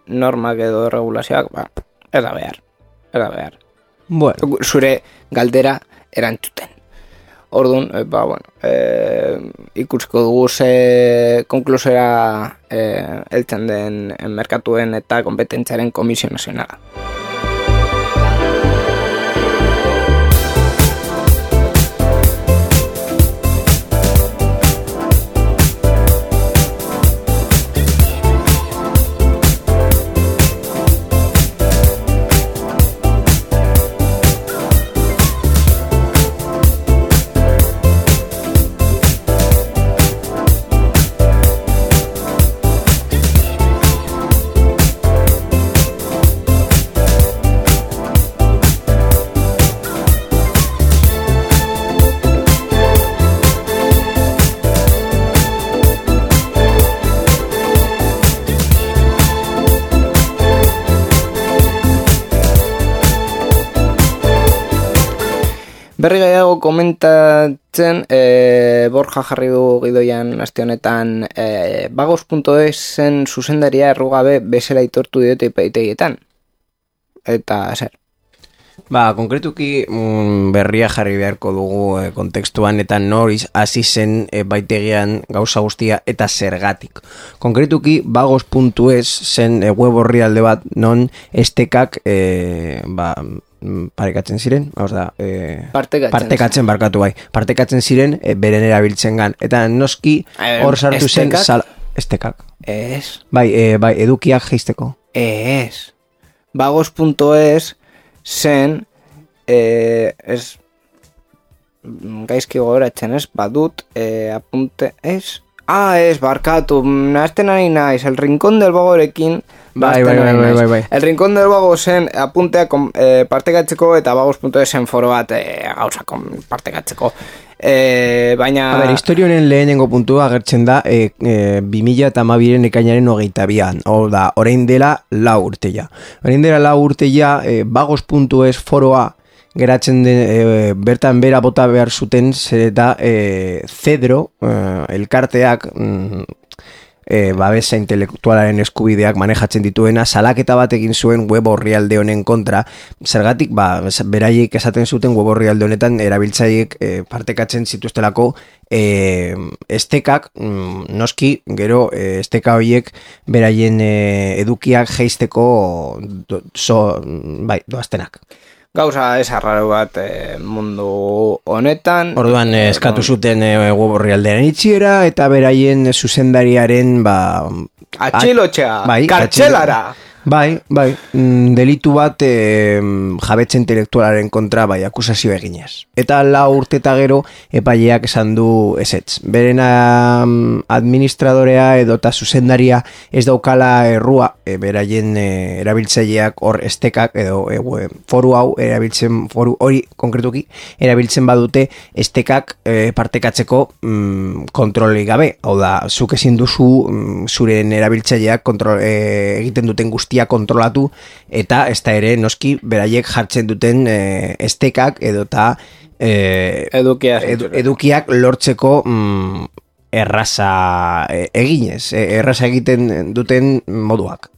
normak edo regulazioak, ba, ez da behar. Ez da behar. Bueno. Zure galdera erantzuten. Orduan, e, ba, bueno, e, ikusko dugu ze konklusera e, heltzen den merkatuen eta kompetentziaren Komisio Nazionala. Berri gehiago komentatzen, e, Borja jarri du gidoian aste honetan, e, bagos puntu esen zuzendaria errugabe bezala itortu diote epaitegietan. Eta, zer? Ba, konkretuki mm, berria jarri beharko dugu e, kontekstuan eta noriz hasi zen e, baitegian gauza guztia eta zergatik. Konkretuki bagos puntu es zen e, web orrialde bat non estekak e, ba, parekatzen ziren, hau da, e, partekatzen, partekatzen barkatu bai, partekatzen ziren e, beren erabiltzen gan. Eta noski hor sartu zen sal, estekak. Ez. Bai, e, bai, edukiak jeisteko. Ez. bagos puntu es zen eh, ez gaizki gogoratzen ez, badut eh, apunte ez, ah ez, barkatu, nahazten ari naiz, el rincón del vagorekin bai, bai, bai, bai, bai, bai. El rincón del vago zen apuntea eh, partekatzeko eta bagos puntu esen foro bat eh, gauza partekatzeko. E, baina... A ber, historionen lehenengo puntua agertzen da e, e, bi mila eta hamabiren ekainaren hogeita bian. Hau da, orain dela lau urteia. Orain dela lau urteia e, bagos puntu es foroa geratzen den, e, bertan bera bota behar zuten, zer eta e, Cedro, e, elkarteak, mm, E, babesa intelektualaren eskubideak manejatzen dituena, salaketa bat egin zuen web orrialde honen kontra, zergatik, ba, beraiek esaten zuten web orrialde honetan erabiltzaileek e, partekatzen zituztelako e, estekak, mm, noski, gero e, esteka horiek beraien e, edukiak jeisteko do, so, bai, doaztenak. Gauza ez arraro bat e, mundu honetan. Orduan e, eskatu zuten e, web orrialdearen itxiera eta beraien zuzendariaren ba, atxilotxea, bai, kartxelara. Bai, bai, mm, delitu bat e, jabetza intelektualaren kontra bai akusazio eginez. Eta lau urte eta gero epaileak esan du ezetz. Beren administradorea edo eta zuzendaria ez daukala errua, e, beraien e, erabiltzaileak hor estekak edo e, foru hau erabiltzen, foru hori konkretuki erabiltzen badute estekak e, partekatzeko mm, kontroli gabe. Hau da, zuk ezin duzu mm, zuren erabiltzaileak kontrol, e, egiten duten guztia kontrolatu eta ez da ere noski beraiek jartzen duten e, estekak edo eta e, edukiak, edu, edukiak lortzeko mm, erraza e, eginez, e, erraza egiten duten moduak.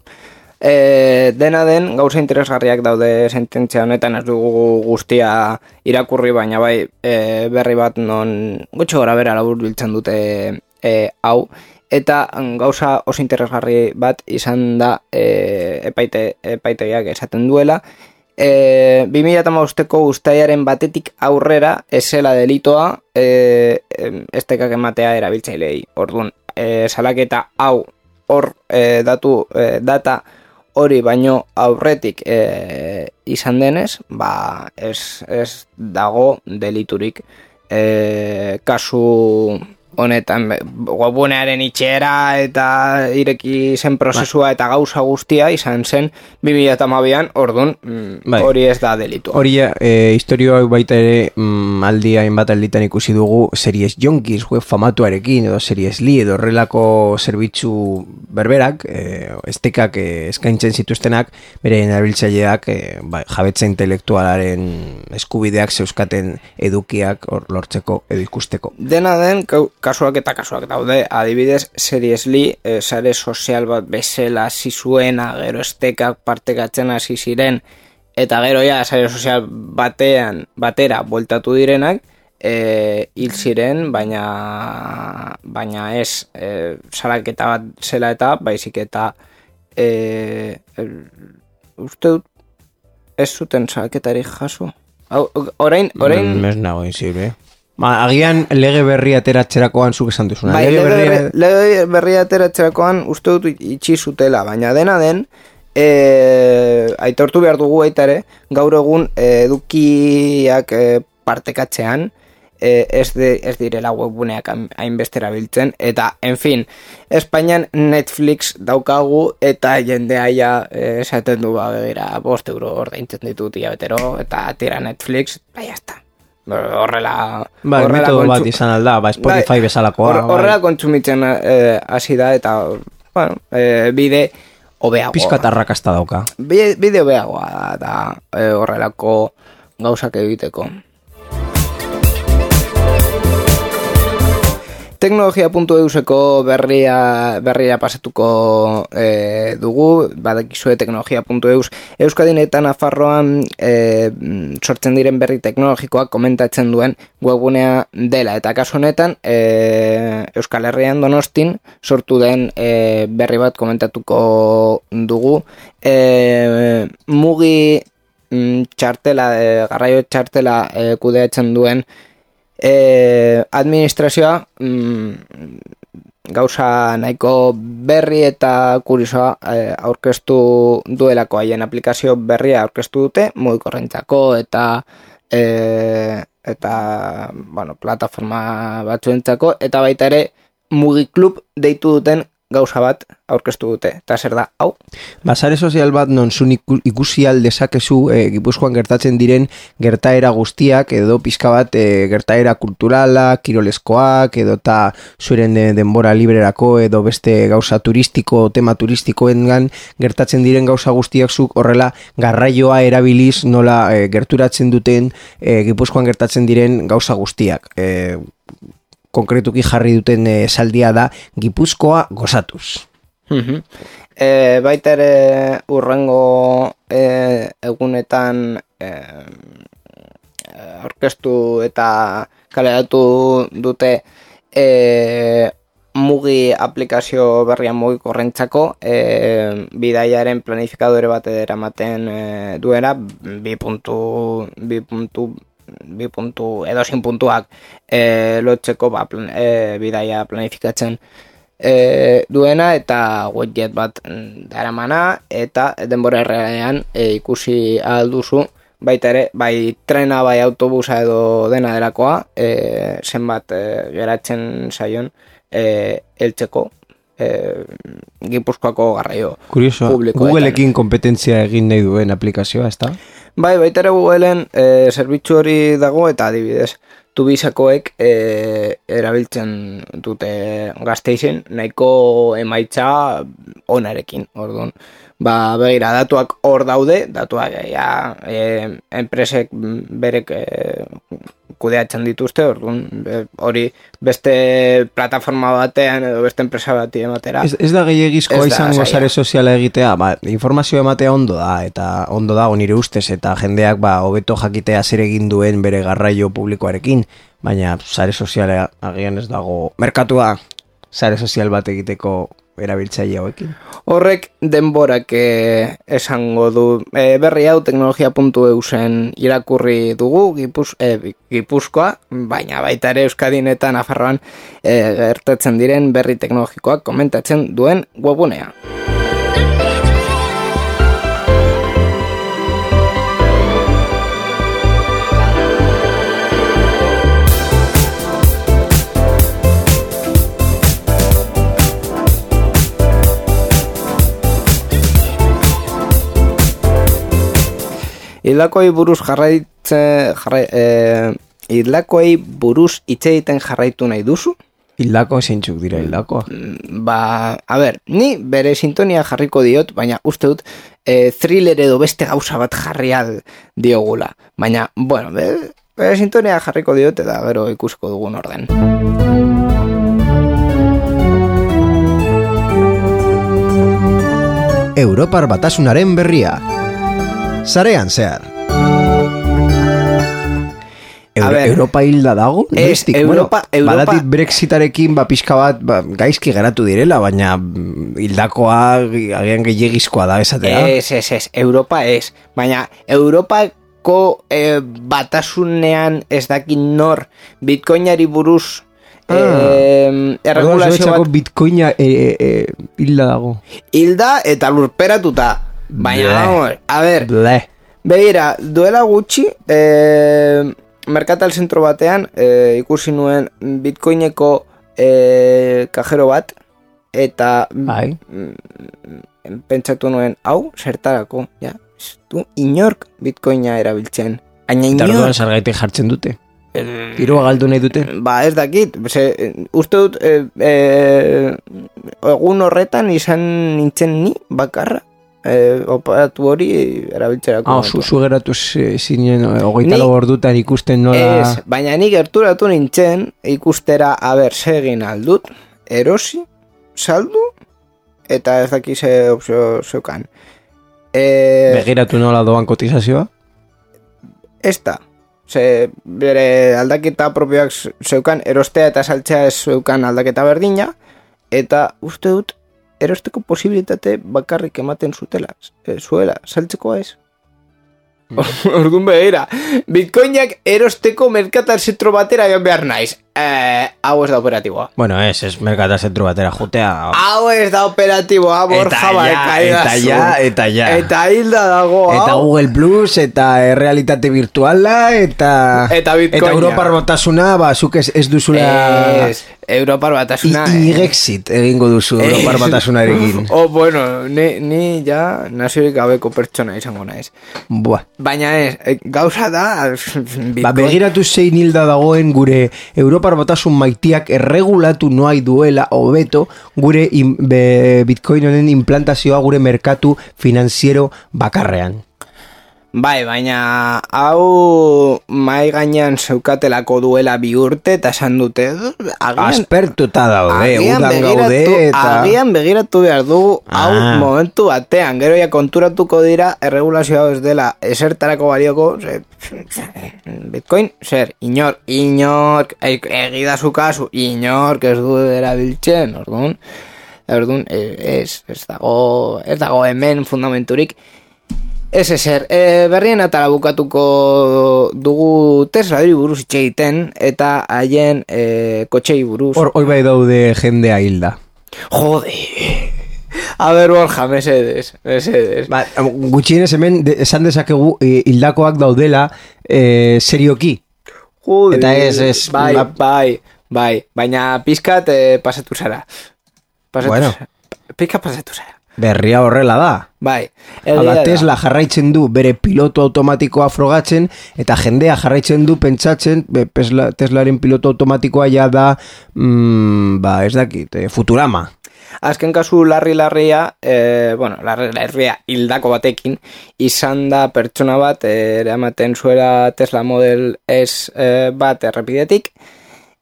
E, dena den, gauza interesgarriak daude sententzia honetan, ez dugu guztia irakurri, baina bai e, berri bat non gutxo gora bera labur biltzen dute e, hau. Eta gauza oso interesgarri bat izan da e, epaite, epaitegiak esaten duela. E, bi mila hamabosteko uztailaren batetik aurrera ezela delitoa e, estekak ematea erabiltzailei. Orduan, e, salaketa hau hor e, datu, e, data hori baino aurretik e, izan denez, ba ez, ez dago deliturik. E, kasu honetan webunearen itxera eta ireki zen prozesua eta gauza guztia izan zen bi mila hamabian, orduan bai. Hori ez da delitua. Hori e, historio hau baita ere mm, aldi hainbat alditan ikusi dugu Series Jonkiz web famatuarekin edo Series Li edo horrelako zerbitzu berberak e, estekak e, eskaintzen zituztenak beren erabiltzaileak e, bai, jabetza intelektualaren eskubideak zeuskaten edukiak hor lortzeko edo ikusteko. Dena den kasuak eta kasuak daude, adibidez Series Li, e, sare sozial bat bezala hasi zuena, gero estekak partekatzen hasi ziren, eta gero ja sare sozial batean, batera bueltatu direnak, e, hil ziren, baina baina ez e, salaketa bat zela eta baizik eta e, e, uste dut ez zuten salaketarik jaso. Orain, orain... Ez nago inzibre, Ma, agian lege berri ateratzerakoan zuk esan duzuna. Bai, lege, berri... lege, lege berri ateratzerakoan uste dut itxi zutela, baina dena den, e, aitortu behar dugu baita ere, gaur egun edukiak e, partekatzean, e, ez, de, ez direla webguneak hainbestera biltzen, eta, en fin, Espainian Netflix daukagu, eta jendea ja esaten du begira, bost euro ordaintzen ditut hilabetero, eta tira Netflix, bai, jazta. Horrela, ba, horrela metodo bat izan alda, ba, Spotify bai, bezalakoa. Horrela bai. Kontsumitzen hasi eh, da eta bueno, eh, bide hobeagoa. Piskatarrakasta dauka. Bide, bide hobeagoa da eh, horrelako gauzak egiteko. Teknologia puntu euseko berria, berria pasatuko e, dugu, badakizue teknologia puntu eus. Euskadin eta Nafarroan e, sortzen diren berri teknologikoak komentatzen duen webgunea dela. Eta kasu honetan, e, Euskal Herrian Donostin sortu den e, berri bat komentatuko dugu. E, mugi m, txartela, e, garraio txartela e, kudeatzen duen E, administrazioa mm, gauza nahiko berri eta kuriosoa e, aurkeztu duelako haien aplikazio berria aurkeztu dute mugikorrentzako eta e, eta bueno, plataforma batzuentzako eta baita ere mugiklub deitu duten gauza bat aurkeztu dute, eta zer da, hau? Ba, sare sozial bat non zun ikusi aldezakezu e, Gipuzkoan gertatzen diren gertaera guztiak, edo pizka bat e, gertaera kulturala, kiroleskoak, edo eta zuren de, denbora librerako, edo beste gauza turistiko, tema turistikoengan gertatzen diren gauza guztiak zuk horrela garraioa erabiliz nola e, gerturatzen duten e, Gipuzkoan gertatzen diren gauza guztiak. E, konkretuki jarri duten esaldia da Gipuzkoa gozatuz. Uh-huh. E, baita ere urrengo e, egunetan e, orkestu eta kaleratu dute e, mugi aplikazio berrian mugikorrentzako e, bidaiaren planifikadore bat eramaten e, duena bi puntu bi puntu bi puntu edo sin puntuak e, lotzeko ba, plan, e, bidaia planifikatzen e, duena eta widget bat daramana eta denbora errealean e, ikusi alduzu baita ere, bai trena, bai autobusa edo dena delakoa e, zenbat e, geratzen zaion e, eltzeko e, Gipuzkoako garraio publikoetan. Googleekin kompetentzia egin nahi duen aplikazioa, ez da? Bai, baita ere Googleen e, zerbitzu hori dago eta adibidez tubisakoek e, erabiltzen dute Gasteizen nahiko emaitza onarekin, orduan. Ba, begira, datuak hor daude, datuak ja, e, enpresek berek e, kudeatzen dituzte, orduan, hori beste plataforma batean edo beste enpresa bati ematera. Ez, ez da gehiagizkoa izango sare soziala egitea, ba, informazio ematea ondo da, eta ondo dago nire ustez, eta jendeak ba, hobeto jakitea zer egin duen bere garraio publikoarekin, baina sare soziala agian ez dago merkatua sare sozial bat egiteko erabiltzaile hauekin. Horrek denborak eh, esango du eh, berri hau teknologia puntu e u zen irakurri dugu Gipuz, eh, Gipuzkoa, baina baita ere Euskadin eta Nafarroan eh, gertatzen diren berri teknologikoak komentatzen duen webgunea. Hildakoei buruz jarraitzen jarrai, eh, hildakoei buruz hitz egiten jarraitu nahi duzu? Hildako zeintzuk dira hildakoa? Ba, a ber, ni bere sintonia jarriko diot, baina uste dut eh, thriller edo beste gauza bat jarrial diogula. Baina, bueno, bere, bere sintonia jarriko diot eta gero ikusko dugun orden. Europar Batasunaren berria. Sarean zehar. Euro, ver, Europa hilda dago? Ez, Europa, bueno, Europa... Badatit Brexitarekin ba, pixka bat ba, gaizki geratu direla, baina hildakoa agian gehiagizkoa da esatea. Ez, ez, ez, Europa ez. Baina Europako eh, batasunean ez dakin nor Bitcoinari buruz ah, eh, erregulazio bat... Bitcoina eh, eh, hilda dago. Hilda eta lurperatuta. Baina, vamos, a ver, Ble. begira, duela gutxi, eh, merkatal zentro batean, eh, ikusi nuen Bitcoineko eh, kajero bat, eta bai. mm, pentsatu nuen, hau, zertarako, ja, du, inork Bitcoina erabiltzen. Aina inork... Tarduan sargaitek jartzen dute. Dirua galdu nahi dute? Ba, ez dakit, ze, uste dut, eh, eh, egun horretan izan nintzen ni bakarra. Eh, operatu hori erabiltzerako. Ah, zu, zu geratu zinen hogeita lau ordutan ikusten nola... Ez, baina ni gerturatu nintzen ikustera aber segin aldut, erosi, saldu, eta ez daki ze opzio zeukan. Eh, Begiratu nola doan kotizazioa? Ez da. Ze bere aldaketa propioak zeukan, erostea eta saltzea ez zeukan aldaketa berdina, eta uste dut erosteko posibilitate bakarrik ematen zutela, e, zuela, saltzekoa ez. Mm. Orduan behira, Bitcoinak erosteko merkatal zentro batera joan behar naiz. Eh, hau ez da operatiboa. Bueno, ez, ez merkata zentru batera jutea. Hau ez da operatiboa, Borja, eta ja, eta ja. Eta hilda dago, hau. Eta Google Plus, eta realitate virtuala, eta... Eta Bitcoina. Eta Europar batasuna, ba, zuk ez, ez duzula... Ez, Europar batasuna... I-Grexit egingo duzu Europar batasunarekin. Oh, bueno, ni, ni ja naziorik gabeko pertsona izango naiz. Buah. Baina ez, gauza da... Bitcoin... Ba, begiratu zein hilda dagoen gure Europar batasun maitiak erregulatu noai duela hobeto gure in, be, Bitcoin honen implantazioa gure merkatu finanziero bakarrean. Bai, baina hau mai gainean zeukatelako duela bi urte eta esan dute agian, aspertuta daude, agian udan begiratu, gaude eta... Agian begiratu behar dugu hau ah. momentu batean, gero ja konturatuko dira erregulazio hau ez dela esertarako balioko, ze, Bitcoin, zer, inor, inor, egidazu kasu, inor, ez du erabiltzen, orduan, orduan, ez, ez dago, ez dago hemen fundamenturik. Ez ezer, e, berrien atara bukatuko dugu Teslari buruz itxe egiten eta haien e, kotxei buruz. Hor, hoi bai daude jendea hilda. Jode! A ber, Borja, mesedes, mesedes. Ba, gutxienez hemen de, esan dezakegu e, hildakoak daudela e, serioki. Jode! Eta ez, ez... Bai, ba... bai, bai, baina pizkat e, pasatu zara. Pasatu Bueno. zara. Pizkat pasatu zara. Berria horrela da. Bai. Hala, Tesla jarraitzen du bere piloto automatikoa frogatzen eta jendea jarraitzen du pentsatzen be, Tesla, Teslaren piloto automatikoa ja da mm, ba, ez dakit, eh, Futurama. Azken kasu larri-larria, eh, bueno, larri-larria hildako batekin, izan da pertsona bat, eh, eramaten zuela Tesla Model S eh, bat errepidetik,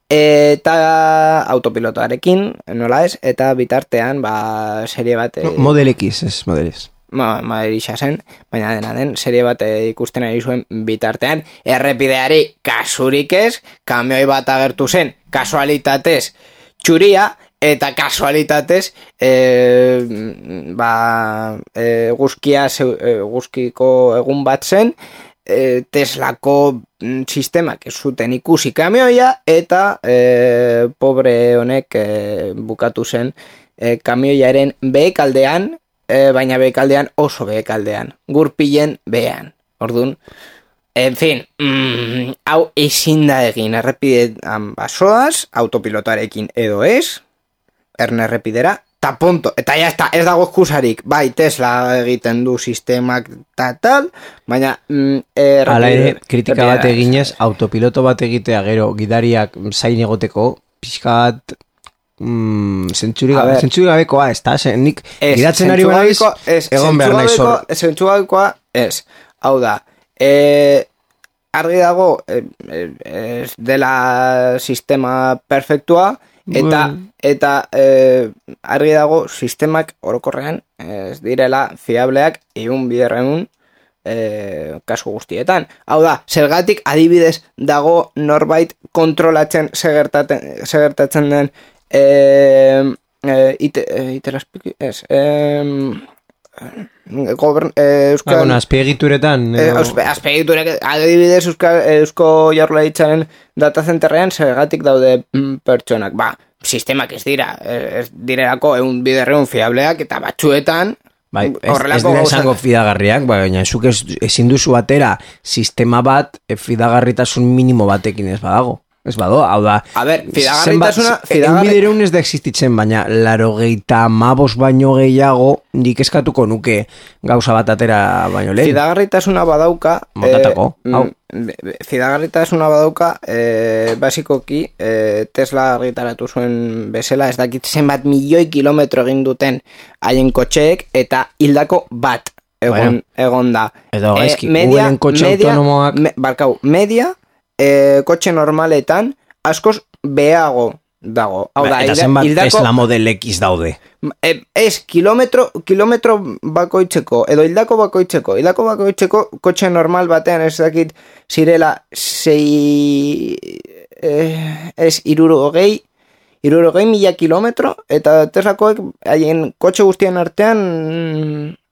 eta autopilotoarekin, nola ez, eta bitartean, ba, serie bat... No, Model X, ez, Model S. Ma, Model X zen, baina dena den, serie bat ikusten ari zuen bitartean, errepideari kasurik ez, kamioi bat agertu zen, kasualitatez txuria, eta kasualitatez e, ba, e, guzkia, e, guzkiko egun bat zen, e, Teslako sistemak ez zuten ikusi kamioia eta e, pobre honek e, bukatu zen e, kamioiaren behekaldean, e, baina behekaldean oso behekaldean, gurpilen behean. Orduan, en fin, mm, hau ezin da egin errepidean basoaz, autopilotarekin edo ez, erne errepidera, ta punto, eta ya está, ez dago eskusarik, bai, Tesla egiten du sistemak ta tal, baina mm, errepide, Hala ere, kritika bat eginez, autopiloto bat egitea gero gidariak zain egoteko, pixkat mm, zentsuri gabekoa, ez da, nik gidatzen ari banaiz, egon behar nahi zor. Zentsu gabekoa, ez, hau da, e, argi dago, e, e, ez dela sistema perfektua, eta eta e, argi dago sistemak orokorrean ez direla fiableak ehun biderrehun e, kasu guztietan. Hau da, zergatik adibidez dago norbait kontrolatzen segertatzen den e, e, ite, e, itelaspiki, ez, e, Gobern, eh, Euskal... Ah, bueno, azpiegituretan... Eh, azpiegiturek, adibidez Euskal, Eusko Jaurlaritzaren datazenterrean zergatik daude mm, pertsonak. Ba, sistemak ez dira, ez direlako egun biderreun fiableak eta batzuetan... Bai, ez, ez dira esango fidagarriak, baina zuk ez, ezin duzu batera sistema bat fidagarritasun minimo batekin ez badago. Ez bado, hau da... A ber, fidagarritasuna... Fidagarri... Enbidereun ez da existitzen, baina laro geita mabos baino gehiago nik eskatuko nuke gauza bat atera baino lehen. Fidagarritasuna badauka... Motatako, eh, hau. Fidagarritasuna badauka, eh, basikoki, eh, Tesla argitaratu zuen bezala, ez dakit zenbat milioi kilometro egin duten haien kotxeek, eta hildako bat egon, bueno, egon da. Edo gaizki, eh, media, Googleen kotxe media, autonomoak... Me, barkau, media... E, kotxe normaletan askoz behago dago. Hau da, eta zenbat hildako, Tesla Model X daude. E, ez, kilometro, kilometro bakoitzeko, edo hildako bakoitzeko, hildako bakoitzeko kotxe normal batean ez dakit zirela sei, eh, ez iruro hogei, iruro hogei mila kilometro, eta Teslakoek haien kotxe guztien artean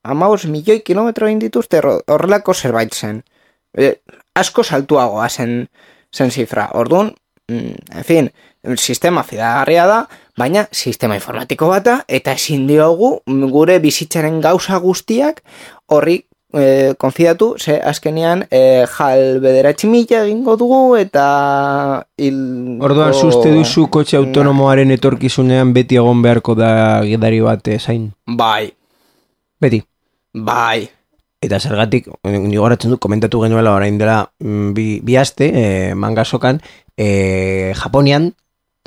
amabost milioi kilometro egin dituzte horrelako zerbait zen. E, asko saltuagoa zen, zen zifra. Orduan, en fin, sistema fidagarria da, baina sistema informatiko bata, eta ezin diogu gure bizitzaren gauza guztiak horri e, konfidatu, ze azkenean e, jal bederatzi mila egingo dugu, eta hilko... Orduan, zuzte duzu kotxe autonomoaren etorkizunean beti egon beharko da gidari bat zain? Bai. Beti? Bai. Eta zergatik, nigo garatzen du, komentatu genuela orain dela bi, bi aste, e, mangasokan, e, Japonian,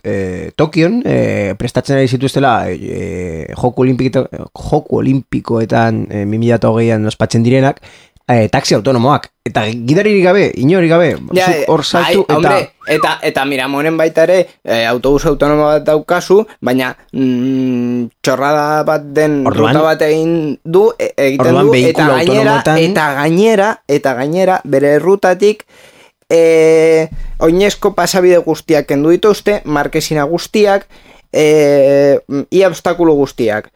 E, Tokion e, prestatzen ari zituztela e, joku, olimpiko, joku olimpikoetan e, bi mila hogeian ospatzen direnak e, taxi autonomoak eta gidaririk gabe, inori gabe ja, hor saltu ai, hombre, eta... eta eta mira, monen baita ere e, autobus autonomo bat daukazu, baina mm, txorrada bat den orduan, ruta bat egin du e, egiten orduan, du eta gainera, eta gainera eta gainera bere rutatik E, oinezko pasabide guztiak kendu dituzte, markesina guztiak, e, ia obstakulu guztiak.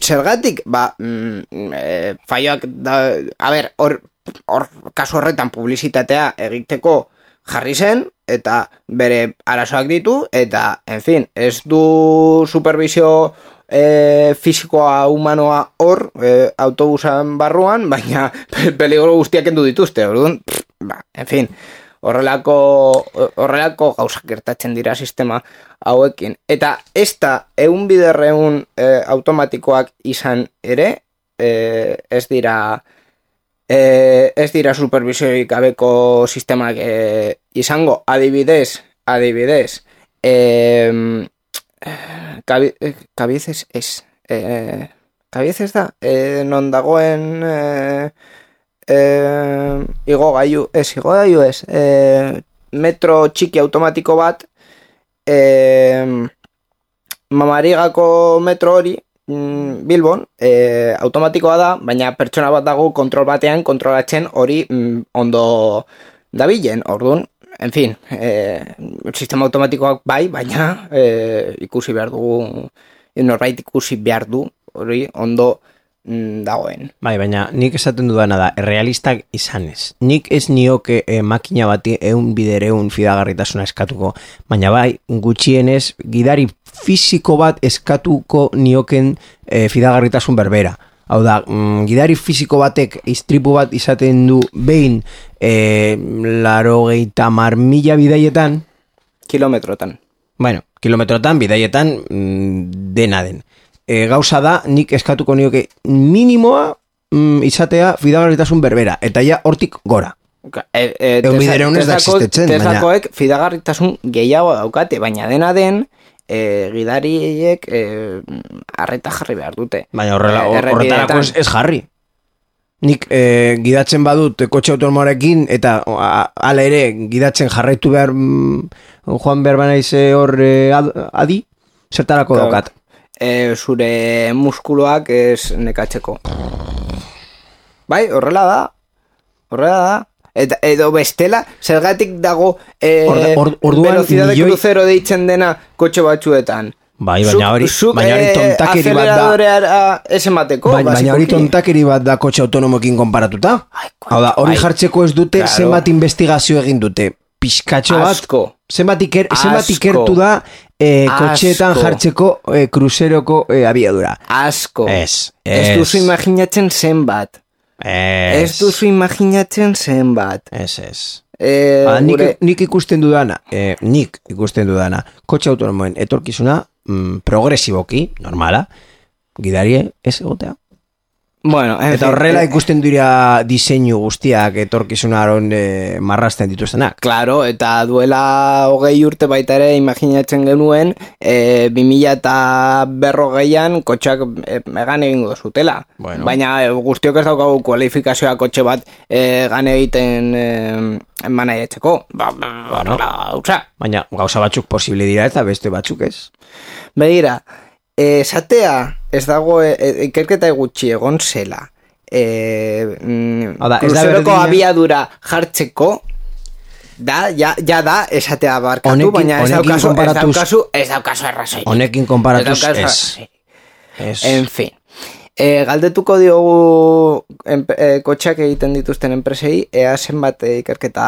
Zergatik, ba, e, faioak da, a ber, hor, hor, kasu horretan publizitatea egiteko jarri zen, eta bere arazoak ditu, eta, en fin, ez du supervisio e, fisikoa humanoa hor, e, autobusan barruan, baina peligro guztiak kendu dituzte, orduan, ba, en fin, Horrelako, horrelako gauzak gertatzen dira sistema hauekin. Eta ez da egun biderreun e, automatikoak izan ere, e, ez dira e, ez dira supervisioik gabeko sistemak e, izango. Adibidez, adibidez, e, kabi, kabizez ez, e, kabizez da, e, non dagoen... E, Eh, igo gaiu, ez, igo gaiu ez eh, metro txiki automatiko bat eh, Mamarigako metro hori mm, Bilbon eh, automatikoa da, baina pertsona bat dago kontrol batean kontrolatzen hori mm, ondo dabilen, orduan, en fin eh, sistema automatikoak bai, baina eh, ikusi behar dugu norbait ikusi behar du hori ondo dagoen. Bai, baina nik esaten dudana da, errealistak izanez. Nik ez nioke eh, makina bati eun bidereun fidagarritasuna eskatuko, baina bai, gutxienez, gidari fisiko bat eskatuko nioken eh, fidagarritasun berbera. Hau da, mm, gidari fisiko batek istripu bat izaten du behin eh, laro geita mar mila bidaietan. Kilometrotan. Bueno, kilometrotan, bidaietan mm, dena den. E, gauza da, nik eskatuko nioke minimoa mm, izatea fidagarritasun berbera, eta ja hortik gora. E, e, Egun bidereun ez da existetzen. Teslakoek baina... fidagarritasun gehiago daukate, baina dena den, e, gidariek e, arreta jarri behar dute. Baina horrela, e, horretarako ez, ez jarri. Nik e, gidatzen badut kotxe autonomoarekin, eta hala ere gidatzen jarraitu behar mm, joan behar banaize hor e, adi, zertarako claro. Daukat. E, zure muskuloak ez nekatzeko. Bai, horrela da. Horrela da. Eta, edo bestela, zergatik dago e, or, or, velocidade milioi... crucero deitzen dena kotxe batzuetan. Bai, baina hori, zuk, baina hori tontakeri bat da. Aceleradorea ez emateko. Baina, baina hori tontakeri bat da kotxe autonomokin konparatuta. Hau da, hori bai. Jartzeko ez dute, claro. Zenbat investigazio egin dute. Pizkatxo bat, Asko. zenbat iker, ikertu da e, kotxeetan jartzeko e, kruzeroko e, abiadura. Asko. Ez. Ez duzu imaginatzen zenbat. Ez. Ez duzu imaginatzen zenbat. Ez, ez. E, ba, nik, gure... nik ikusten dudana, e, nik ikusten dudana, kotxe autonomoen etorkizuna mm, progresiboki, normala, gidarie ez egotea. Bueno, eta horrela eh, ikusten dira diseinu guztiak etorkizunaron eh, marrasten dituztenak. Claro, eta duela hogei urte baita ere imaginatzen genuen eh, bi mila eta berrogeian kotxeak eh, egan egingo zutela. Bueno. Baina eh, guztiok ez daukagu kualifikazioa kotxe bat eh, egan egiten eh, manaiatzeko. Ba, ba, bueno. ba, Baina gauza batzuk posible dira eta beste batzuk ez. Begira, esatea ez dago e, ikerketa gutxi egon zela e, mm, kruzeroko abiadura jartzeko da, ja, ja da esatea barkatu, honekin, baina ez daukazu ez daukazu ez daukazu errazoi honekin konparatuz ez, ez. En fin e, galdetuko diogu en, e, kotxeak egiten dituzten enpresei ea zenbat ikerketa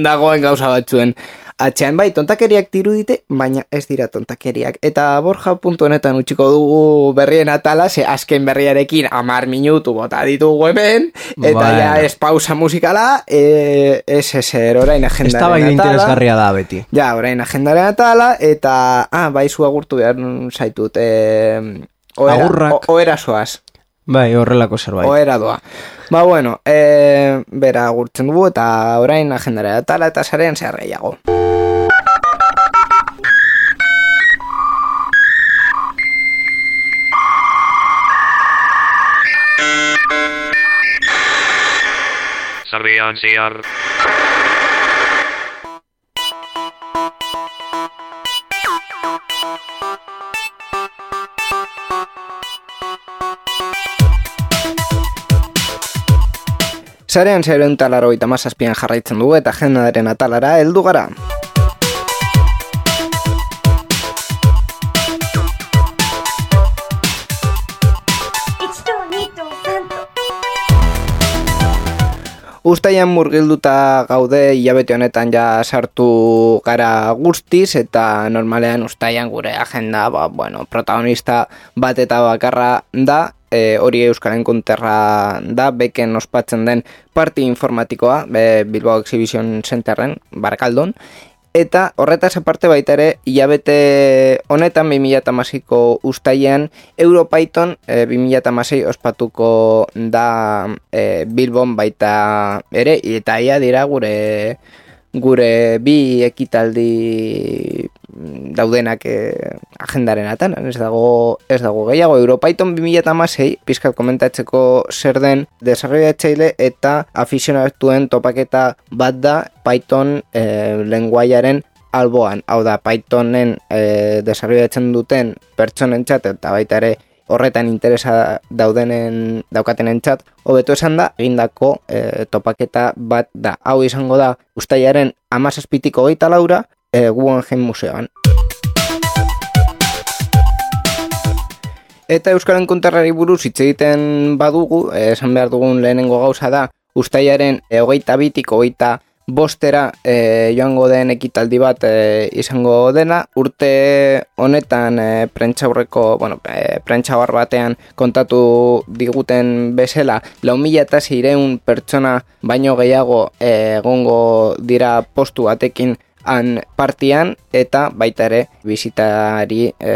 dagoen gauza batzuen atxean bai, tontakeriak dirudite, baina ez dira tontakeriak. Eta Borja puntu honetan utziko dugu berrien atala, ze azken berriarekin amar minutu bota ditugu hemen, eta bueno. Ja ez pausa musikala, e, ez ezer orain agendaren atala. Ez da bai interesgarria da beti. Ja, orain agendaren atala, eta, ah, bai zu agurtu behar zaitut, e, oera, agurrak. O, oera soaz. Bai, horrelako zerbait. Oera doa. Ba, bueno, e, bera agurtzen dugu, eta orain agendaren atala, eta sarean zehar gehiago. Sarean zehar. Sarean zeharen talaro eta mazazpian jarraitzen dugu eta agendaren atalara heldu gara. Uztaian murgilduta gaude hilabete honetan ja sartu gara guztiz eta normalean uztaian gure agenda ba, bueno, protagonista bat eta bakarra da, e, hori Euskal Enkunterra da, beken ospatzen den parti informatikoa, be, Bilbao Exhibition Centerren, Barakaldon. Eta horretaz aparte baita ere, hilabete honetan bi mila hamaseiko uztailean Europython e, bi mila hamasei ospatuko da e, Bilbon baita ere, eta ia dira gure gure bi ekitaldi daudenak e, agendaren atan, ez dago, ez dago gehiago. Europython bi mila hamasei pizkat komentatzeko zer den desarrollatzaile eta afizionatuen topaketa bat da Python e, lenguaiaren alboan. Hau da, Pythonen e, desarrollatzen duten pertsonentzat eta baita ere horretan interesa daudenen daukatenentzat hobeto esan da egindako e, topaketa bat da. Hau izango da uztailaren hamazazpitiko hogeita laura e, Guggenheim Museoan. Eta Euskal Enkunterrari buruz hitz egiten badugu, esan behar dugun lehenengo gauza da uztailaren e, hogeita bitik hogeita bostera e, joango den ekitaldi bat e, izango dena. Urte honetan e, prentxaurreko, bueno, e, prentxaur batean kontatu diguten bezala, lau mila eta seiehun pertsona baino gehiago e, egongo dira postu batekin han partian, eta baita ere bisitari e,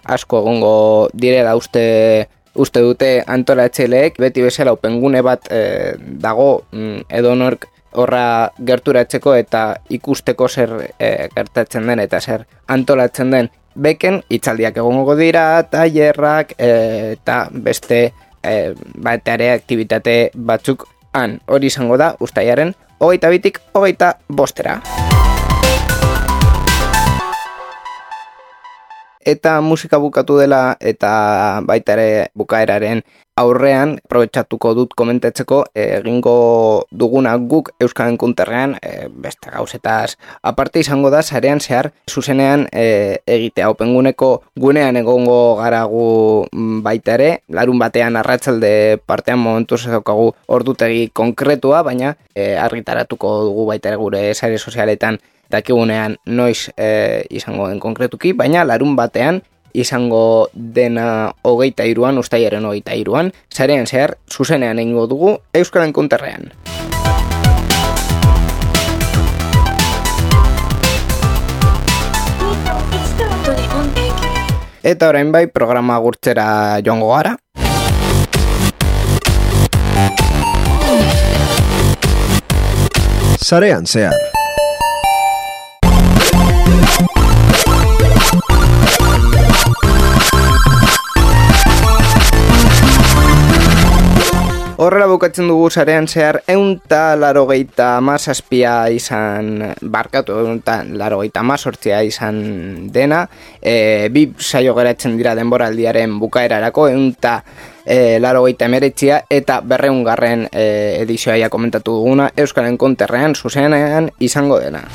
asko egongo direla uste uste dute antolatzaileek. Beti bezala opengune bat e, dago mm, edonork horra gerturatzeko eta ikusteko zer e, gertatzen den eta zer antolatzen den. Beken hitzaldiak egongo dira, tailerrak e, eta beste e, bateare aktibitate batzuk han. Hori izango da uztailaren hogeita bitik hogeita bostera. Eta musika bukatu dela eta baita ere bukaeraren aurrean aprobetxatuko dut komentatzeko egingo duguna guk Euskal Enkunterrean e, beste gauzetaz aparte izango da sarean zehar zuzenean e, egitea. Openguneko gunean egongo gara gu baita ere, larun batean arratsalde partean momentuz ez daukagu ordutegi konkretua, baina e, argitaratuko dugu baita ere gure sare sozialetan dakigunean noiz e, izango den konkretuki, baina larun batean izango dena hogeita iruan, uztailaren hogeita iruan, sarean zehar zuzenean egingo dugu Euskal Enkunterrean. Eta orain bai programa agurtzera joango gara. Sarean zehar. Horrela bukatzen dugu sarean zehar eunta larogeita amazazpia izan barkatu, eunta larogeita amazortzia izan dena, e, bi saio geratzen dira denboraldiaren bukaerarako, eunta e, larogeita emeretzia eta berreungarren e, edizioa komentatu duguna Euskal Enkunterrean zuzenean izango dena.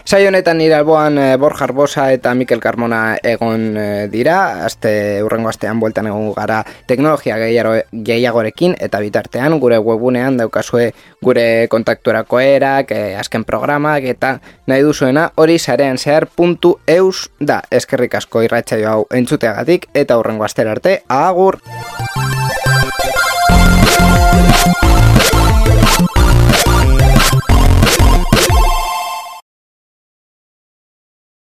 Saio honetan nire alboan e, Borja Arbosa eta Mikel Carmona egon e, dira, aste urrengo astean bueltan egon gara teknologia gehiago, gehiagorekin, eta bitartean gure webunean daukazue gure kontakturako erak, e, azken programak, eta nahi duzuena hori sarean zehar puntu eus da. Eskerrik asko irratsaio hau entzuteagatik, eta urrengo astera arte, agur!